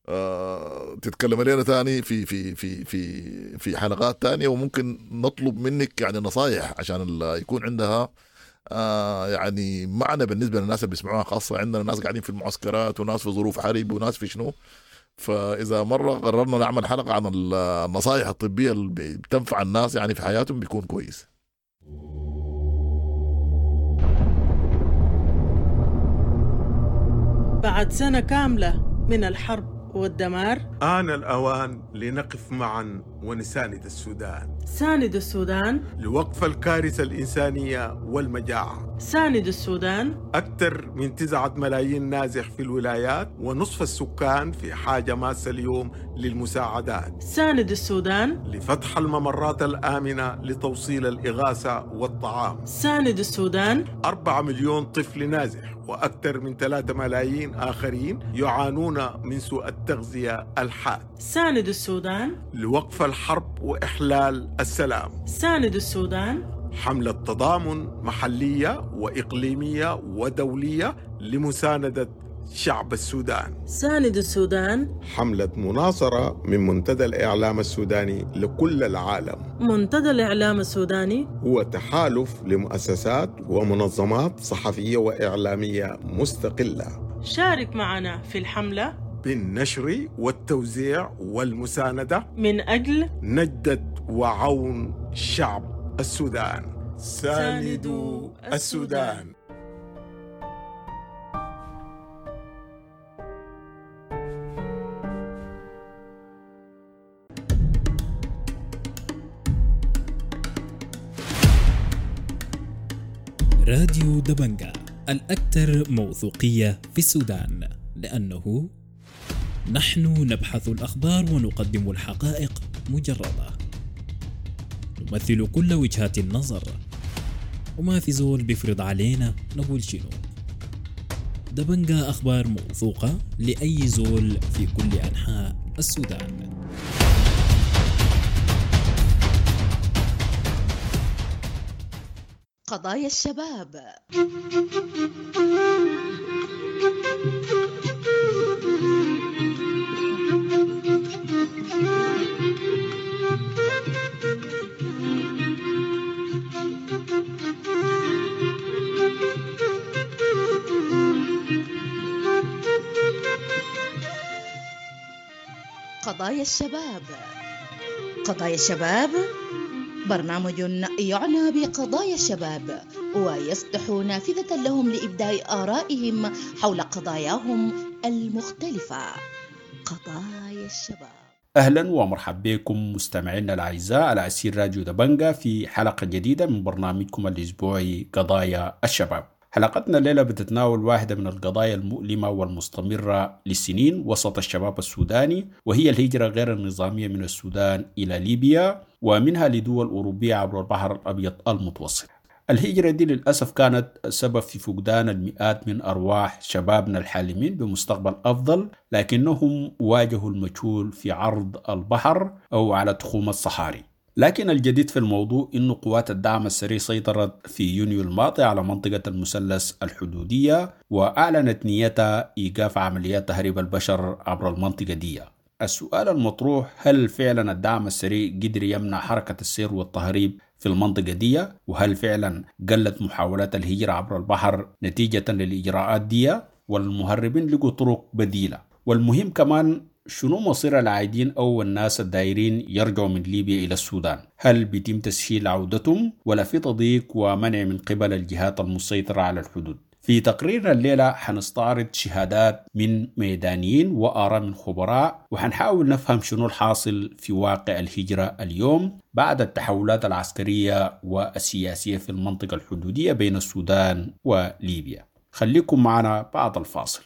آه، تتكلم لنا تاني في في في في في حلقات تانية، وممكن نطلب منك يعني نصايح عشان ال- يكون عندها آه، يعني معنى بالنسبة للناس اللي بيسمعوها، خاصة عندنا ناس قاعدين في المعسكرات وناس في ظروف حرب وناس في شنو. فإذا مرة قررنا نعمل حلقة عن ال- النصائح الطبية اللي بتنفع الناس يعني في حياتهم بيكون كويس. بعد سنة كاملة من الحرب والدمار، آن الأوان لنقف معا ونساند السودان. ساند السودان لوقف الكارثة الإنسانية والمجاعة. ساند السودان. أكثر من تسعة ملايين نازح في الولايات، ونصف السكان في حاجة ماسة اليوم للمساعدات. ساند السودان. لفتح الممرات الآمنة لتوصيل الإغاثة والطعام. ساند السودان. أربعة مليون طفل نازح وأكثر من ثلاثة ملايين آخرين يعانون من سوء التغذية الحاد. ساند السودان. لوقف الحرب وإحلال السلام. ساند السودان. حملة تضامن محلية وإقليمية ودولية لمساندة شعب السودان. ساند السودان. حملة مناصرة من منتدى الإعلام السوداني لكل العالم. منتدى الإعلام السوداني هو تحالف لمؤسسات ومنظمات صحفية وإعلامية مستقلة. شارك معنا في الحملة بالنشر والتوزيع والمساندة من أجل نجدة وعون شعب السودان. ساندوا السودان. راديو دبنجا الأكثر موثوقية في السودان، لأنه نحن نبحث الأخبار ونقدم الحقائق مجردة، نمثل كل وجهات النظر، وما في زول بيفرض علينا نقول شنو. دبنجا أخبار موثوقة لأي زول في كل أنحاء السودان. قضايا الشباب. قضايا الشباب. قضايا الشباب برنامج يعنى بقضايا الشباب ويفتح نافذة لهم لإبداء آرائهم حول قضاياهم المختلفة. قضايا الشباب. أهلا ومرحبا بكم مستمعينا الأعزاء على أسير راديو دبنجا في حلقة جديدة من برنامجكم الأسبوعي قضايا الشباب. حلقتنا الليلة بتتناول واحدة من القضايا المؤلمة والمستمرة للسنين وسط الشباب السوداني، وهي الهجرة غير النظامية من السودان إلى ليبيا ومنها لدول أوروبية عبر البحر الأبيض المتوسط. الهجرة دي للأسف كانت سبب في فقدان المئات من أرواح شبابنا الحالمين بمستقبل أفضل، لكنهم واجهوا المجهول في عرض البحر أو على تخوم الصحاري. لكن الجديد في الموضوع أن قوات الدعم السريع سيطرت في يونيو الماضي على منطقة المثلث الحدودية، وأعلنت نيتها إيقاف عمليات تهريب البشر عبر المنطقة دي. السؤال المطروح، هل فعلا الدعم السريع قدر يمنع حركة السير والتهريب في المنطقة دي؟ وهل فعلا قلت محاولات الهجرة عبر البحر نتيجة للإجراءات دي؟ والمهربين لقوا طرق بديلة؟ والمهم كمان، شنو مصير العايدين أو الناس الدايرين يرجعوا من ليبيا إلى السودان؟ هل بيتم تسهيل عودتهم ولا في تضييق ومنع من قبل الجهات المسيطرة على الحدود؟ في تقريرنا الليلة حنستعرض شهادات من ميدانيين وآراء من خبراء، وحنحاول نفهم شنو الحاصل في واقع الهجرة اليوم بعد التحولات العسكرية والسياسية في المنطقة الحدودية بين السودان وليبيا. خليكم معنا بعد الفاصل.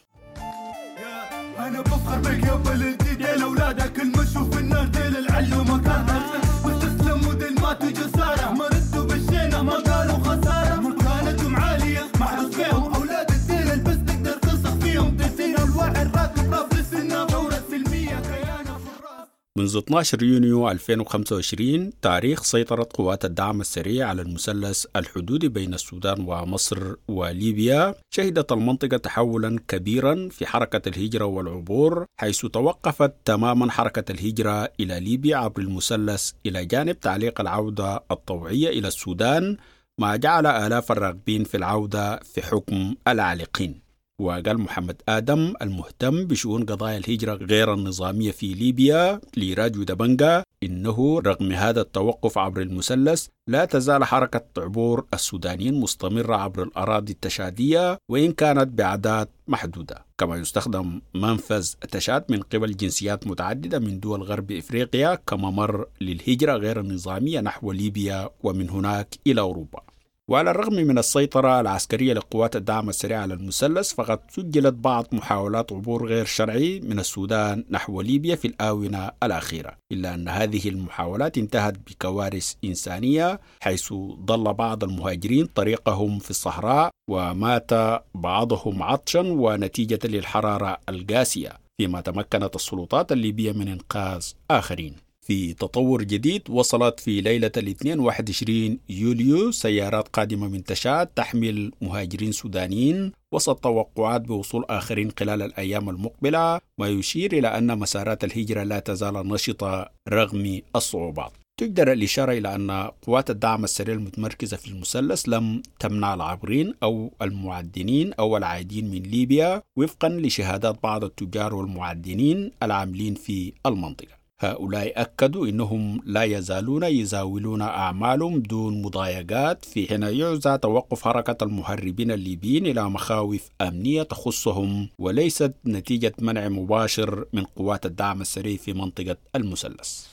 أنا بفخر بك يا بلدي، ديل أولادك المشوا في النار، ديل العلو مكانها واستسلموا، ديل ماتوا جسارة، ما ردوا بالشينة، ما قالوا خسارة، مكانتهم عالية محروس فيهم أولاد الديل، البس تقدر تلصق فيهم، دسين الواحد راكب راس للسنة، ثورة سلمية كيانة في الراس. منذ اثني عشر يونيو ألفين وخمسة وعشرين تاريخ سيطرة قوات الدعم السريع على المثلث الحدودي بين السودان ومصر وليبيا، شهدت المنطقة تحولا كبيرا في حركة الهجرة والعبور، حيث توقفت تماما حركة الهجرة إلى ليبيا عبر المثلث، إلى جانب تعليق العودة الطوعية إلى السودان، ما جعل آلاف الراغبين في العودة في حكم العالقين. وقال محمد آدم المهتم بشؤون قضايا الهجرة غير النظامية في ليبيا لراديو دبنجا إنه رغم هذا التوقف عبر المثلث لا تزال حركة عبور السودانيين مستمرة عبر الأراضي التشادية وإن كانت بأعداد محدودة، كما يستخدم منفذ تشاد من قبل جنسيات متعددة من دول غرب إفريقيا كممر للهجرة غير النظامية نحو ليبيا ومن هناك إلى أوروبا. وعلى الرغم من السيطرة العسكرية لقوات الدعم السريع على المثلث، فقد سجلت بعض محاولات عبور غير شرعي من السودان نحو ليبيا في الآونة الأخيرة، إلا أن هذه المحاولات انتهت بكوارث إنسانية، حيث ضل بعض المهاجرين طريقهم في الصحراء ومات بعضهم عطشا ونتيجة للحرارة القاسية، فيما تمكنت السلطات الليبية من إنقاذ آخرين. في تطور جديد، وصلت في ليلة الاثنين واحد وعشرين يوليو سيارات قادمة من تشاد تحمل مهاجرين سودانيين وسط توقعات بوصول آخرين خلال الأيام المقبلة، ما يشير إلى أن مسارات الهجرة لا تزال نشطة رغم الصعوبات. تجدر الإشارة إلى أن قوات الدعم السريع المتمركزة في المثلث لم تمنع العابرين أو المعدنين أو العائدين من ليبيا، وفقا لشهادات بعض التجار والمعدنين العاملين في المنطقة. هؤلاء أكدوا أنهم لا يزالون يزاولون أعمالهم دون مضايقات، في حين يعزى توقف حركة المهربين الليبيين إلى مخاوف أمنية تخصهم وليست نتيجة منع مباشر من قوات الدعم السريع في منطقة المثلث.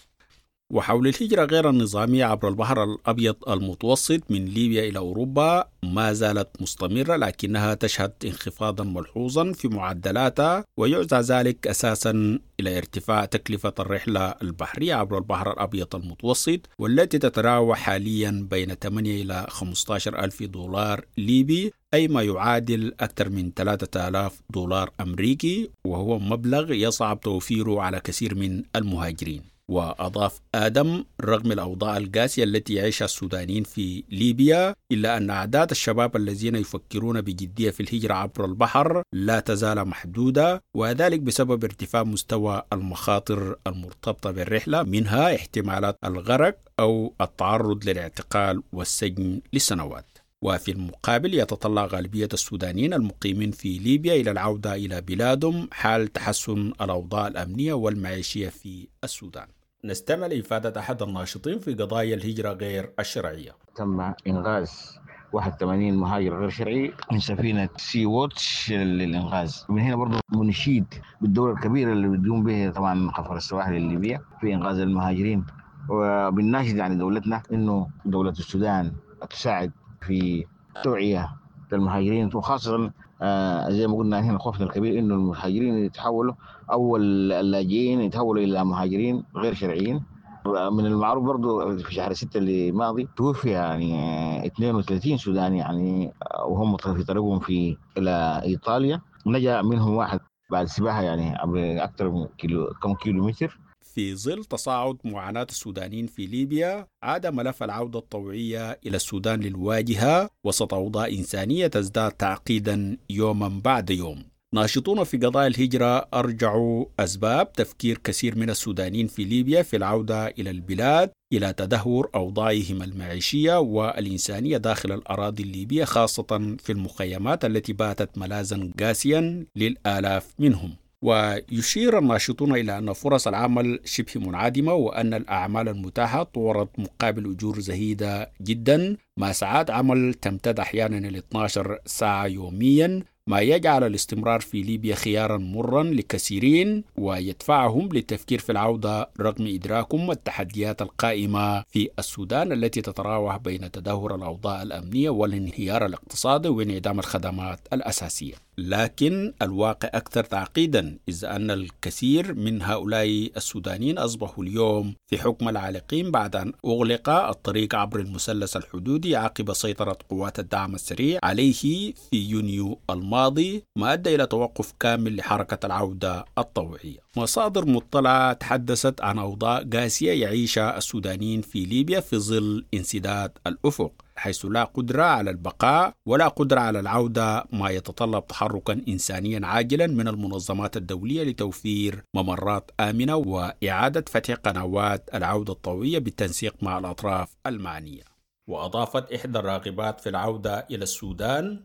وحول الهجرة غير النظامية عبر البحر الأبيض المتوسط من ليبيا إلى أوروبا ما زالت مستمرة، لكنها تشهد انخفاضا ملحوظا في معدلاتها، ويعزى ذلك أساسا إلى ارتفاع تكلفة الرحلة البحرية عبر البحر الأبيض المتوسط، والتي تتراوح حاليا بين ثمانية إلى خمسة عشر ألف دولار ليبي، أي ما يعادل أكثر من ثلاثة آلاف دولار أمريكي، وهو مبلغ يصعب توفيره على كثير من المهاجرين. وأضاف آدم رغم الأوضاع القاسية التي يعيشها السودانيين في ليبيا، إلا أن أعداد الشباب الذين يفكرون بجدية في الهجرة عبر البحر لا تزال محدودة، وذلك بسبب ارتفاع مستوى المخاطر المرتبطة بالرحلة، منها احتمالات الغرق أو التعرض للاعتقال والسجن لسنوات. وفي المقابل يتطلع غالبية السودانيين المقيمين في ليبيا إلى العودة إلى بلادهم حال تحسن الأوضاع الأمنية والمعيشية في السودان. نستمع لإفادة أحد الناشطين في قضايا الهجرة غير الشرعية. تم إنغاز واحد وثمانين مهاجر غير شرعي من سفينة سي ووتش للإنغاز. من هنا برضو بنشيد بالدور الكبير اللي بتقوم به طبعا خفر السواحل الليبية في إنغاز المهاجرين، وبنناشد يعني دولتنا إنه دولة السودان تساعد في توعية المهاجرين، وخاصة آه زي ما قلنا هنا خوفنا الكبير إنه المهاجرين يتحولوا أو اللاجئين يتحولوا إلى مهاجرين غير شرعيين، من المعروف برضو في شهر ستة اللي ماضي توفي يعني اثنين وثلاثين سوداني يعني وهم في طريقهم في إلى إيطاليا، نجا منهم واحد بعد سباحة يعني عبر أكثر من كيلو كم كيلو متر. في ظل تصاعد معاناة السودانيين في ليبيا، عاد ملف العودة الطوعية إلى السودان للواجهة وسط أوضاع إنسانية تزداد تعقيدا يوما بعد يوم. ناشطون في قضايا الهجرة أرجعوا أسباب تفكير كثير من السودانيين في ليبيا في العودة إلى البلاد إلى تدهور أوضاعهم المعيشية والإنسانية داخل الأراضي الليبية، خاصة في المخيمات التي باتت ملاذا قاسيا للآلاف منهم. ويشير الناشطون إلى أن فرص العمل شبه منعدمة، وأن الأعمال المتاحة تورط مقابل أجور زهيدة جدا، مع ساعات عمل تمتد أحيانا إلى اثنتي عشرة ساعة يوميا، ما يجعل الاستمرار في ليبيا خيارا مرا لكثيرين ويدفعهم للتفكير في العودة رغم إدراكهم التحديات القائمة في السودان التي تتراوح بين تدهور الأوضاع الأمنية والانهيار الاقتصادي وانعدام الخدمات الأساسية. لكن الواقع أكثر تعقيدا، إذ أن الكثير من هؤلاء السودانيين أصبحوا اليوم في حكم العالقين بعد أن أغلق الطريق عبر المثلث الحدودي عقب سيطرة قوات الدعم السريع عليه في يونيو الماضي، ما أدى إلى توقف كامل لحركة العودة الطوعية. مصادر مطلعة تحدثت عن أوضاع قاسية يعيشها السودانيين في ليبيا في ظل انسداد الأفق، حيث لا قدرة على البقاء ولا قدرة على العودة، ما يتطلب تحركا إنسانيا عاجلا من المنظمات الدولية لتوفير ممرات آمنة وإعادة فتح قنوات العودة الطوعية بالتنسيق مع الأطراف المعنية. وأضافت إحدى الراغبات في العودة إلى السودان: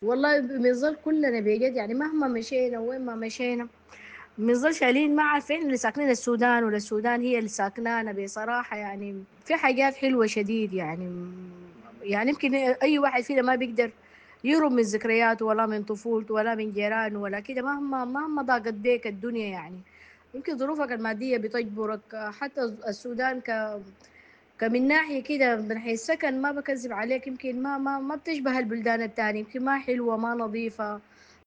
والله بنظل كلنا بجد يعني مهما مشينا وين ما مشينا بنظل شايلين، ما عارفين اللي ساكنين السودان ولا السودان هي اللي ساكنانا بصراحة. يعني في حاجات حلوة شديد، يعني يعني يمكن أي واحد فينا ما بيقدر يهرب من ذكرياته ولا من طفولته ولا من جيرانه ولا كده، مهما مهما ضاقت بيك الدنيا يعني يمكن ظروفك المادية بتجبرك. حتى السودان ك كمن ناحية كده من حيث السكن ما بكذب عليك يمكن ما ما ما بتشبه البلدان التانية، يمكن ما حلوة ما نظيفة،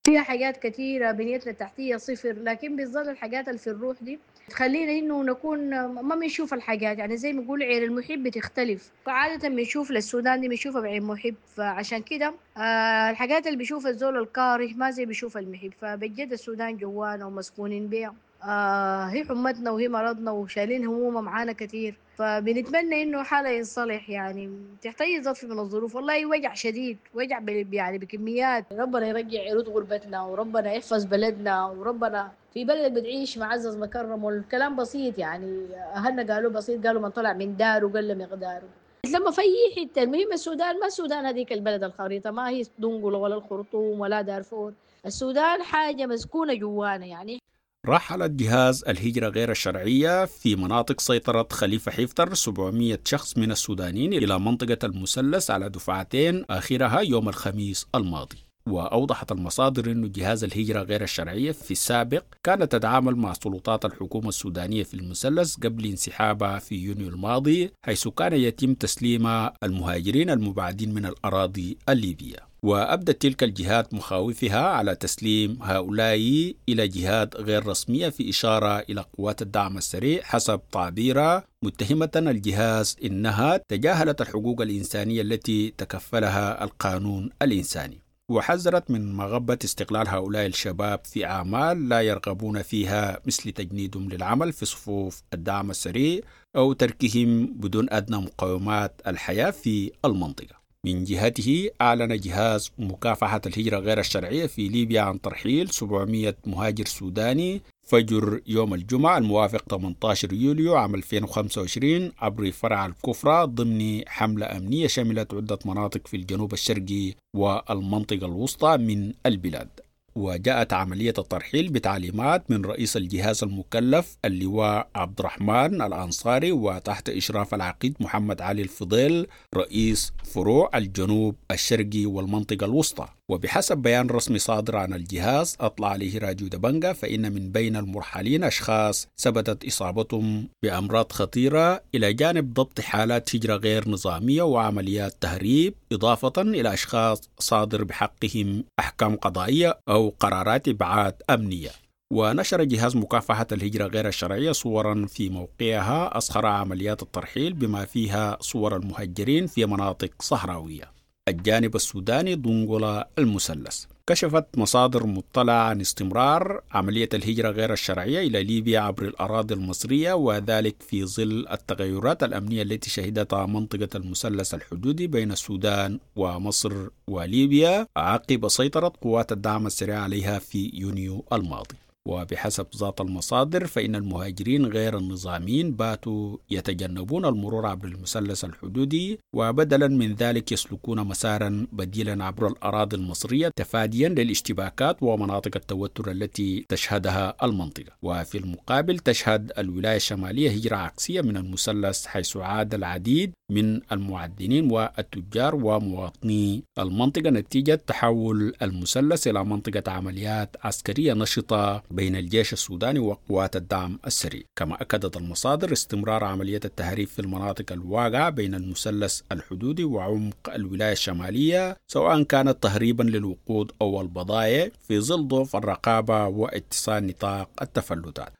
فيها حاجات كثيرة، بنيتنا التحتية صفر، لكن بتظل الحاجات اللي في الروح دي تخلينا إنه نكون ما بنشوف الحاجات، يعني زي ما نقول عين المحب بتختلف. فعادة بنشوف للسودان دي بنشوفها بعين محب، فعشان كده آه الحاجات اللي بيشوفها الزول الكاره ما زي بيشوف المحب. فبجد السودان جوانا ومسكونين بيها، آه هي حمتنا وهي مرضنا وشايلين همومها معانا كثير، فبنتمنى انه حالة ينصلح يعني تحت اي ظرف من الظروف. والله وجع شديد، وجع يعني بكميات. ربنا يرجع يرد غربتنا، وربنا يحفظ بلدنا، وربنا في بلد بتعيش معزز مكرم. والكلام بسيط يعني اهلنا قالوا بسيط، قالوا من طلع من داره قل مقداره. لما في حته المهم السودان، ما السودان هذيك البلد الخريطه، ما هي دنقله ولا الخرطوم ولا دارفور، السودان حاجه مسكونه جوانا يعني. رحلت جهاز الهجرة غير الشرعية في مناطق سيطرة خليفة حفتر سبعمئة شخص من السودانيين إلى منطقة المثلث على دفعتين، آخرها يوم الخميس الماضي. وأوضحت المصادر أن جهاز الهجرة غير الشرعية في السابق كانت تتعامل مع سلطات الحكومة السودانية في المثلث قبل انسحابها في يونيو الماضي، حيث كان يتم تسليم المهاجرين المبعدين من الأراضي الليبية. وأبدت تلك الجهات مخاوفها على تسليم هؤلاء إلى جهات غير رسمية، في إشارة إلى قوات الدعم السريع حسب تعبيرها، متهمة الجهاز إنها تجاهلت الحقوق الإنسانية التي تكفلها القانون الإنساني. وحذرت من مغبة استغلال هؤلاء الشباب في أعمال لا يرغبون فيها، مثل تجنيدهم للعمل في صفوف الدعم السريع أو تركهم بدون أدنى مقومات الحياة في المنطقة. من جهته أعلن جهاز مكافحة الهجرة غير الشرعية في ليبيا عن ترحيل سبعمئة مهاجر سوداني فجر يوم الجمعة الموافق ثمانية عشر يوليو عام ألفين وخمسة وعشرين عبر فرع الكفرة ضمن حملة أمنية شملت عدة مناطق في الجنوب الشرقي والمنطقة الوسطى من البلاد. وجاءت عملية الترحيل بتعليمات من رئيس الجهاز المكلف اللواء عبد الرحمن الأنصاري وتحت إشراف العقيد محمد علي الفضيل رئيس فروع الجنوب الشرقي والمنطقة الوسطى. وبحسب بيان رسمي صادر عن الجهاز أطلع عليه راديو دبنجا، فإن من بين المرحلين أشخاص ثبتت إصابتهم بأمراض خطيرة، إلى جانب ضبط حالات هجرة غير نظامية وعمليات تهريب، إضافة إلى أشخاص صادر بحقهم أحكام قضائية أو قرارات إبعاد أمنية. ونشر جهاز مكافحة الهجرة غير الشرعية صورا في موقعها أظهر عمليات الترحيل بما فيها صور المهجرين في مناطق صحراوية. الجانب السوداني دنقلا المثلث. كشفت مصادر مطلعة عن استمرار عملية الهجرة غير الشرعية إلى ليبيا عبر الأراضي المصرية، وذلك في ظل التغيرات الأمنية التي شهدتها منطقة المثلث الحدودي بين السودان ومصر وليبيا عقب سيطرة قوات الدعم السريع عليها في يونيو الماضي. وبحسب ذات المصادر فإن المهاجرين غير النظاميين باتوا يتجنبون المرور عبر المثلث الحدودي، وبدلا من ذلك يسلكون مسارا بديلا عبر الأراضي المصرية تفاديا للاشتباكات ومناطق التوتر التي تشهدها المنطقة. وفي المقابل تشهد الولاية الشمالية هجرة عكسية من المثلث، حيث عاد العديد من المعدنين والتجار ومواطني المنطقة نتيجة تحول المثلث إلى منطقة عمليات عسكرية نشطة بين الجيش السوداني وقوات الدعم السريع. كما أكدت المصادر استمرار عملية التهريب في المناطق الواقعة بين المثلث الحدودي وعمق الولاية الشمالية، سواء كانت تهريبا للوقود أو البضائع، في ظل ضعف الرقابة واتساع نطاق التفلتات.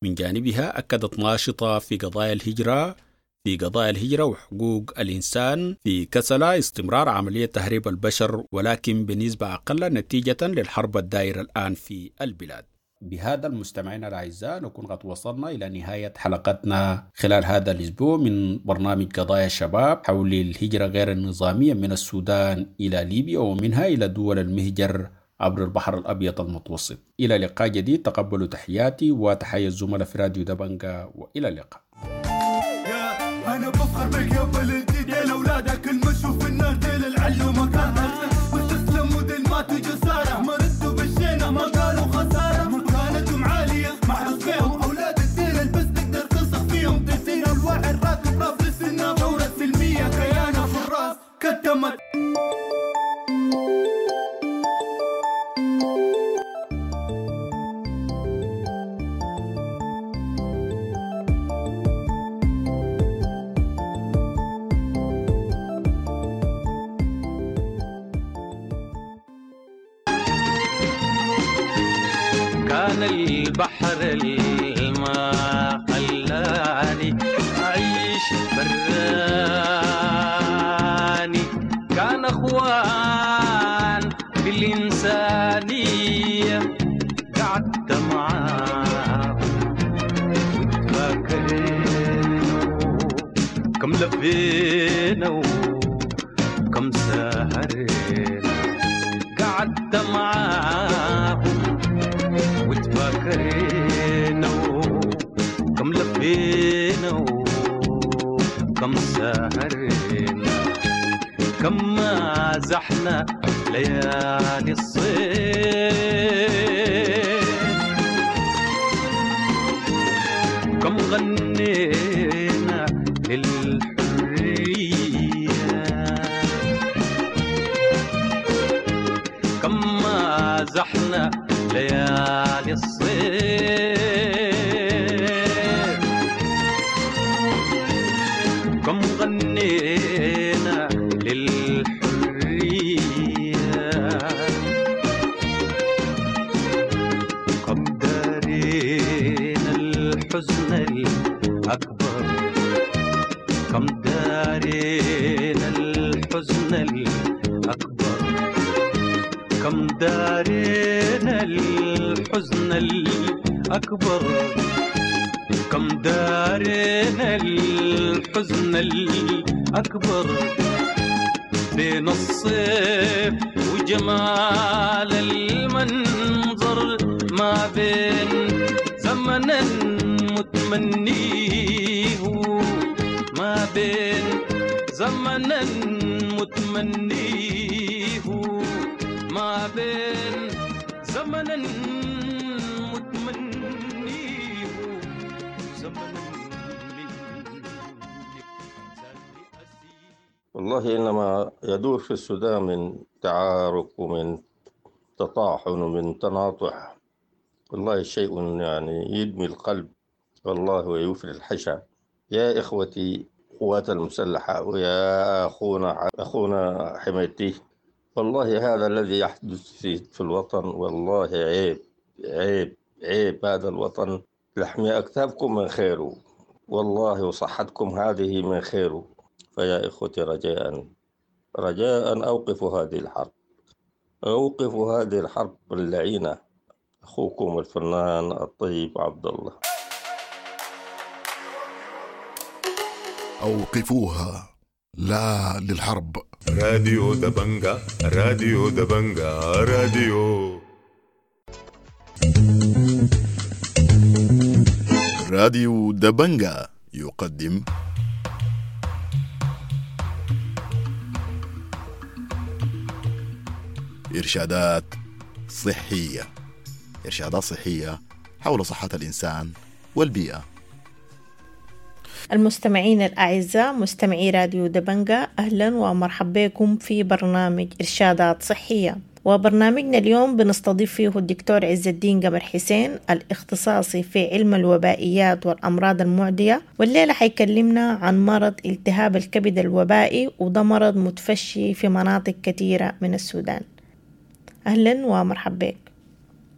من جانبها أكدت ناشطة في قضايا الهجرة في قضايا الهجرة وحقوق الإنسان في كسلا استمرار عملية تهريب البشر، ولكن بنسبة أقل نتيجة للحرب الدائرة الآن في البلاد. بهذا المستمعين الأعزاء نكون قد وصلنا إلى نهاية حلقتنا خلال هذا الأسبوع من برنامج قضايا الشباب حول الهجرة غير النظامية من السودان إلى ليبيا ومنها إلى دول المهجر عبر البحر الأبيض المتوسط. إلى لقاء جديد، تقبلوا تحياتي وتحية الزملاء في راديو دبنجا، وإلى اللقاء. أنا بفخر بك يا بلدي ديل أولادك المشوا في النار ديل العلو مكان واستسلموا ديل ماتوا جسارة ما ردوا بالشينة ما قالوا خسارة مكانتهم عالية محروس فيهم أولاد الديل بس تقدر تلصق فيهم دسين الواحد راكب راس للسنة ثورة سلمية كيانة في الراس كتمت. كان البحر الماء خلاني أعيش براني، كان أخوان بالإنسانية قعدت معاه وتفاكرنا كم لفينا وكم سهرنا، قعدت معاه وتفاكرنا كم لفينا وكم سهرنا، كم مازحنا ليالي الصيف، كم غنينا للحرية، كم مازحنا ليالي الصيف، كم غنينا للحرية، كم دارينا الحزن الأكبر، كم دارينا الحزن الأكبر، كم دارينا الحزن الأكبر، كم دارينا الحزن الأكبر، بين الصيف وجمال المنظر، ما بين زمن متمنيه، ما بين زمن متمنيه، ما بين زمن متمنيه، زمن. والله إنما يدور في السودان من تعارك ومن تطاحن ومن تناطح، والله شيء يعني يدمي القلب والله ويوفر الحشا. يا إخوتي قوات المسلحة ويا أخونا أخونا حميدتي، والله هذا الذي يحدث في, في الوطن والله عيب عيب. عيب هذا الوطن لحم أكتافكم من خيره، والله وصحتكم هذه من خيره. فيا إخوتي رجاء رجاء أوقفوا هذه الحرب، أوقفوا هذه الحرب اللعينة. أخوكم الفنان الطيب عبد الله. أوقفوها، لا للحرب. راديو دبنجا، راديو دبنجا، راديو راديو دبنجا يقدم إرشادات صحية، إرشادات صحية حول صحة الإنسان والبيئة. المستمعين الأعزاء، مستمعي راديو دبنجا، أهلا ومرحبا بكم في برنامج إرشادات صحية. وبرنامجنا اليوم بنستضيف فيه الدكتور عز الدين قمر حسين، الاختصاصي في علم الوبائيات والأمراض المعدية، والليلة حيكلمنا عن مرض التهاب الكبد الوبائي، وده مرض متفشي في مناطق كثيرة من السودان. أهلا ومرحبا بك.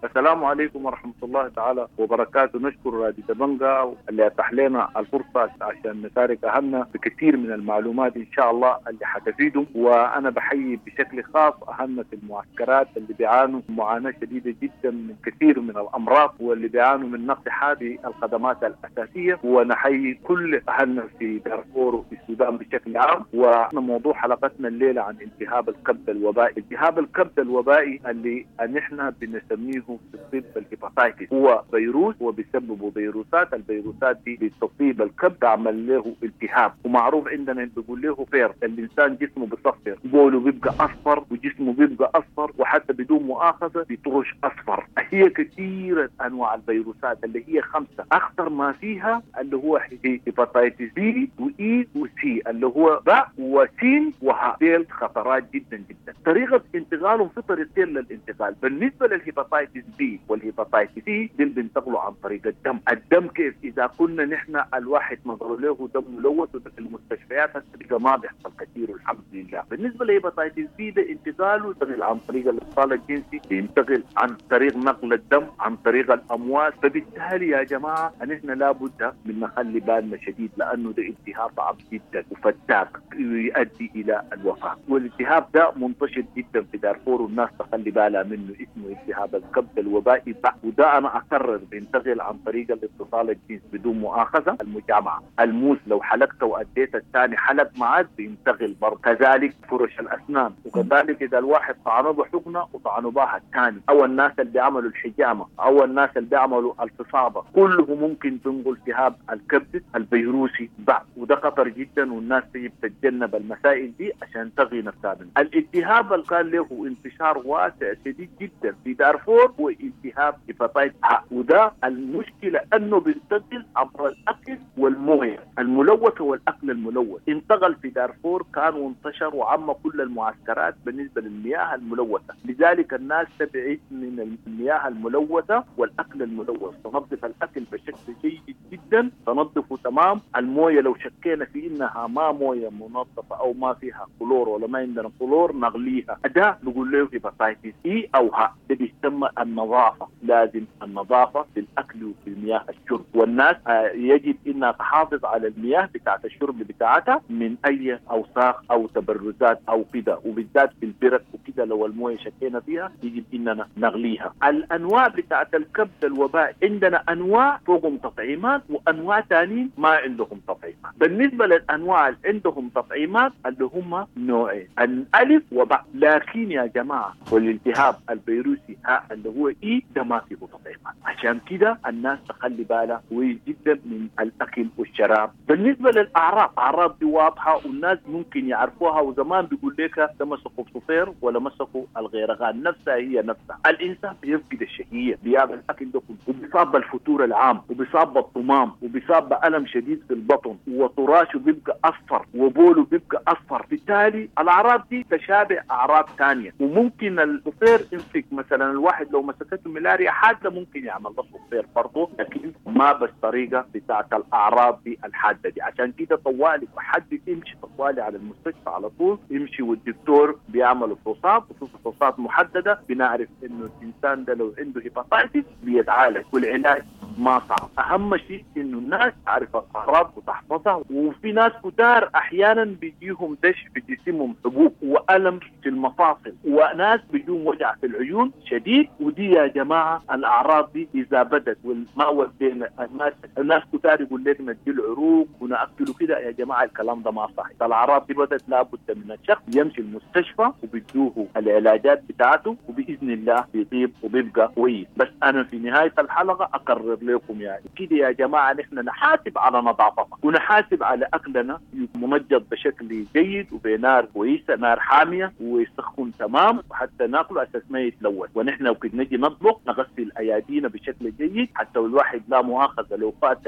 السلام عليكم ورحمة الله تعالى وبركاته. نشكر راديو دبنجا اللي أتاح لنا الفرصة عشان نشارك أهلنا بكثير من المعلومات إن شاء الله اللي حتفيدهم. وأنا بحيي بشكل خاص أهلنا في المعسكرات اللي بيعانوا معاناة شديدة جدا من كثير من الأمراض، واللي بيعانوا من نقص هذه الخدمات الأساسية. ونحيي كل أهلنا في دارفور وفي السودان بشكل عام. وموضوع حلقتنا الليلة عن التهاب الكبد الوبائي. التهاب الكبد الوبائي اللي نحن بنسميه في الطب ال hepatitis، هو فيروس وبيسببه فيروسات. الفيروسات دي بتصيب الكبد، تعمل له التهاب، ومعروف عندنا بيقول له فير. الانسان جسمه بيصفر، بوله بيبقى اصفر وجسمه بيبقى اصفر، وحتى بدون مؤاخذة بيطرش اصفر. هي كثيرة انواع الفيروسات اللي هي خمسة، اخطر ما فيها اللي هو hepatitis B و E و C، اللي هو باء وسين وهاء. ديل خطرات جدا جدا. طريقه انتقالهم في طريقتين للانتقال. بالنسبة لل hepatitis B وال hepatitis C دي بينتقلوا عن طريق الدم. الدم كيف؟ اذا كنا نحن الواحد نظر له دم ملوث، وده في المستشفيات هسه ما بيحصل كثير والحمد لله. بالنسبة لل hepatitis B ده انتقاله ينتقل عن طريق الاتصال الجنسي، بينتقل عن طريق نقل الدم، عن طريق الامواس. فبالتالي يا جماعة نحن لابد من نخلي بالنا شديد، لانه ده التهاب صعب جدا وفتاك يؤدي الى الوفاة. والالتهاب ده منتشر جدا في دارفور والناس تخلي بالها منه، اسمه التهاب الكبد الوبائي. وده انا اكرر بينتقل عن طريق الاتصال الجنسي بدون مؤاخذة، المجامعه، الموس لو حلقته واديت الثاني حلق معاه بينتقل برضه، كذلك فرش الاسنان، وكذلك اذا الواحد طعنه بحقنه وطعنه بها الثاني، او الناس اللي بيعملوا الحجامة، او الناس اللي بيعملوا الفصابه، كله ممكن تنقل التهاب الكبد الفيروسي بعد. وده خطر جدا، والناس تجب تتجنب المسائل دي عشان تغي نفسها منه. الالتهاب اللي كان له انتشار واسع شديد جدا في دارفور هو التهاب hepatitis ه، وده المشكلة انه بينتقل عبر الاكل والمويه الملوثة والاكل الملوث. انتقل في دارفور كان وانتشر وعم كل المعسكرات بالنسبة للمياه الملوثة، لذلك الناس تبعد من المياه الملوثة والاكل الملوث. تنظف الاكل بشكل جيد جدا، تنظفه تمام. المويه لو شكينا في انها ما مويه منظفه او ما فيها كلور ولا ما عندنا كلور نغليها. ده نقول له hepatitis E او ه. ده بيسمى النظافة، لازم النظافة في الاكل وفي المياه الشرب. والناس يجب انها تحافظ على المياه بتاعت الشرب بتاعتها من اي اوساخ او تبرزات او كده، وبالذات في البرك وكده لو المويه شكينا فيها يجب اننا نغليها. الانواع بتاعت الكبد الوبائي عندنا انواع فوقهم تطعيمات وانواع ثانيين ما عندهم تطعيمات. بالنسبة للانواع اللي عندهم تطعيمات اللي هم نوعين، الالف وباء. لكن يا جماعة والالتهاب الفيروسي ها اللي هو E ده ما فيه تطعيمات، عشان كده الناس تخلي بالها كويس جدا من الاكل والشراب. بالنسبة للاعراض، اعراض دي واضحة والناس ممكن يعرفوها، وزمان بيقول لك ده مسكوا بصفير ولا مسكوا الغيرغان، نفسها هي نفسها. الانسان بيفقد الشهية، بيعمل الاكل ده كله، وبيصاب بالفتور العام، وبيصاب بالطمام، تمام، وبيصاب بألم شديد في البطن، وطراشه بيبقى أصفر، وبوله بيبقى أصفر. بالتالي الأعراض دي تشابه أعراض ثانية، وممكن الصفير يمسك مثلا الواحد لو مسكته ملاريا حادة ممكن يعمل له صفير برضه، لكن ما بالطريقة بتاعت الأعراض دي الحادة دي. عشان كده طوالي حد يمشي طوالي على المستشفى على طول يمشي، والدكتور بيعمل فحوصات، وفي فحوصات محددة بنعرف إنه الإنسان ده لو عنده hepatitis بيتعالج، والعلاج ما صعب. أهم شيء إنه الناس تعرف الأعراض وتحفظها. وفي ناس كتار أحيانا بيجيهم دش في جسمهم، حبوب وألم في المفاصل، وناس بيجيهم وجع في العيون شديد. ودي يا جماعة الأعراض دي إذا بدت والما ودينا الناس، الناس كتار يقول لك ندي العروق ونأكله كده، يا جماعة الكلام ده ما صح. الأعراض دي بدت لابد من الشخص يمشي المستشفى وبيدوه العلاجات بتاعته، وبإذن الله بيطيب وبيبقى كويس. بس أنا في نهاية الحلقة أقرر لكم يعني كده يا جماعة، نحن نحاسب على نظافتنا ونحاسب على أكلنا منجد بشكل جيد وبنار كويسة، نار حامية ويسخن تمام، وحتى ناكله أساس ما يتلوث. ونحن وكد نجي نطبخ نغسل أيادينا بشكل جيد، حتى الواحد لا مؤاخذة لو فات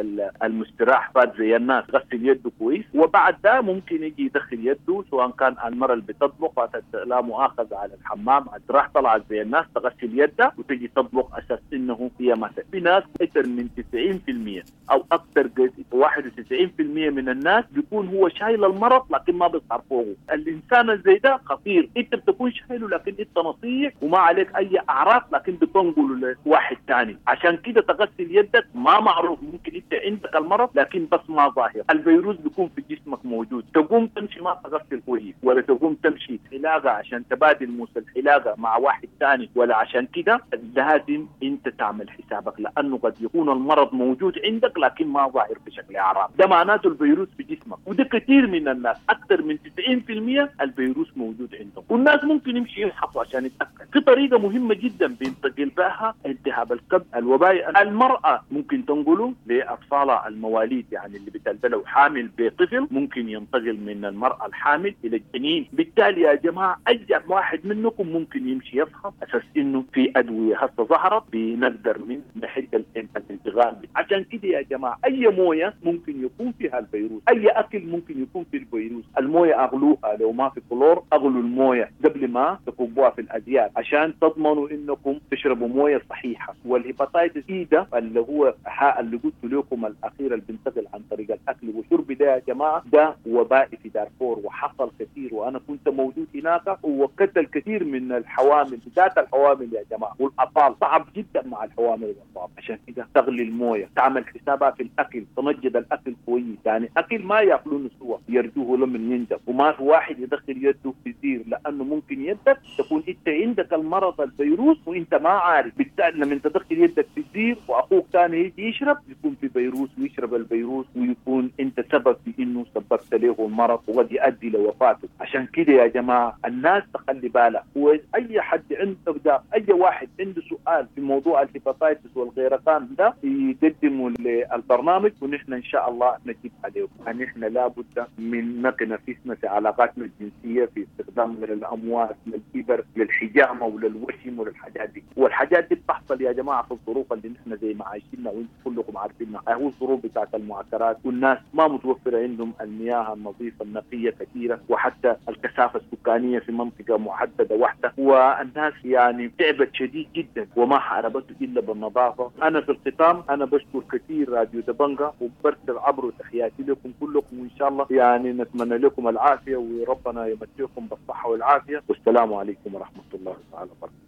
المستراح فات زي الناس غسل يده كويس، وبعد ده ممكن يجي يدخل يده، سواء كان المرة اللي بتطبخ فاتت لا مؤاخذة على الحمام راح طلعت زي الناس تغسل يدها وتجي تطبخ أساس إنه هي مثلا. في ناس أكثر من تسعين بالمئة أو أكثر واحد وتسعين بالمئة من الناس بيكون هو شايل المرض لكن ما بيظهر فوقه. الإنسان زي ده خطير، أنت بتكون شايله لكن أنت نصيح وما عليك أي أعراض، لكن بتنقله لواحد ثاني. عشان كده تغسل يدك، ما معروف ممكن أنت عندك المرض لكن بس ما ظاهر، الفيروس بيكون في جسمك موجود. تقوم تمشي ما تغسل كويس، ولا تقوم تمشي حلاقة عشان تبادل موس الحلاقة مع واحد ثاني، ولا عشان كده لازم أنت تعمل حسابك، لأنه قد يكون المرض موجود عندك لكن ما ظاهر بشكل أعراض. ده معناته الفيروس في جسمك، وده كثير من الناس أكثر من تسعين بالمئة الفيروس موجود عندهم، والناس ممكن يمشي يفحصوا عشان يتأكد. في طريقة مهمة جدا بينتقل بها التهاب الكبد الوبائي، المرأة ممكن تنقله لأطفالها المواليد، يعني اللي بتلبله حامل بطفل ممكن ينتقل من المرأة الحامل إلى الجنين. بالتالي يا جماعة أي واحد منكم ممكن يمشي يفحص أساس إنه في أدوية هسه ظهرت بنقدر من نحد الانتقال. عشان كده يا جماعة أي موية ممكن يكون فيها الفيروس، أي أكل ممكن يكون فيه الفيروس. الموية أغلوها لو ما في كلور، أغلوا الموية قبل ما تكبوها في الأزياء عشان تضمنوا إنكم تشربوا موية صحيحة. وال hepatitis E ده اللي هو اللي قلت لكم الأخير اللي بينتقل عن طريق الأكل والشرب ده يا جماعة، ده وبائي في دارفور وحصل كثير، وأنا كنت موجود هناك وقتل كثير من الحوامل، بالذات الحوامل يا جماعة والأطفال، صعب جدا مع الحوامل والأطفال. عشان كده تغلي الموية، تعمل حسابها في الأكل، تمجد الأكل كويس، يعني أكل ما يأكلونه سوا يرجوه لمن ينجب، وما في واحد يدخل يده في الزير، لأنه ممكن يدك تكون أنت عندك المرض الفيروس وأنت ما عارف. بالتالي لما تدخل يدك في الزير وأخوك ثاني يجي يشرب يكون في فيروس ويشرب الفيروس، ويكون أنت سبب في إنه سببت له المرض وقد يؤدي لوفاته. عشان كده يا جماعة الناس تخلي بالها، وأي حد عنده ده، أي واحد عنده سؤال في موضوع ال hepatitis والغيرقان ده يقدمه للبرنامج، ونحن إن شاء الله نجيب عليه. نحن لابد من نقي نفسنا في علاقاتنا الجنسية، في استخدامنا للأموال، للإبر، للحجامة وللوشم وللحاجات دي. والحاجات دي بتحصل يا جماعة في الظروف اللي نحن زي ما عايشينها وانتم كلكم عارفينها، هو الظروف بتاعت المعسكرات، والناس ما متوفرة عندهم المياه النظيفة النقية كثيرة، وحتى الكثافة السكانية في منطقة محددة واحدة، والناس يعني تعبت شديد جدا وما حاربته إلا بالنظافة. أنا في الختام أنا بشكر كثير راديو دبنجا، وبرسل عبره تحياتي لكم كلكم، وإن شاء الله يعني نتمنى لكم العافية وربنا يمتعكم بالصحة والعافية، والسلام عليكم ورحمة الله تعالى وبركاته.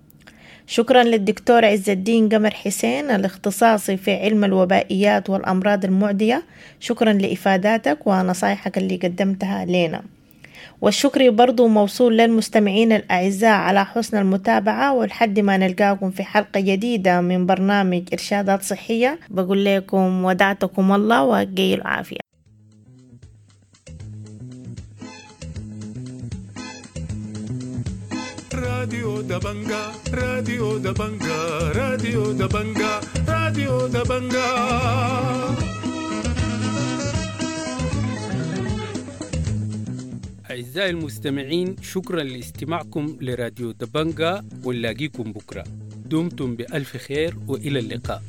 شكرا للدكتور عز الدين قمر حسين الاختصاصي في علم الوبائيات والأمراض المعدية، شكرا لإفاداتك ونصايحك اللي قدمتها لنا. والشكر برضو موصول للمستمعين الأعزاء على حسن المتابعة، ولحد ما نلقاكم في حلقة جديدة من برنامج إرشادات صحية، بقول لكم ودعتكم الله وقي العافية. راديو دبنجا، راديو دبنجا، راديو دبنجا، راديو دبنجا. أعزائي المستمعين، شكرا لاستماعكم لراديو دبنجا، ونلاقيكم بكرة. دمتم بألف خير وإلى اللقاء.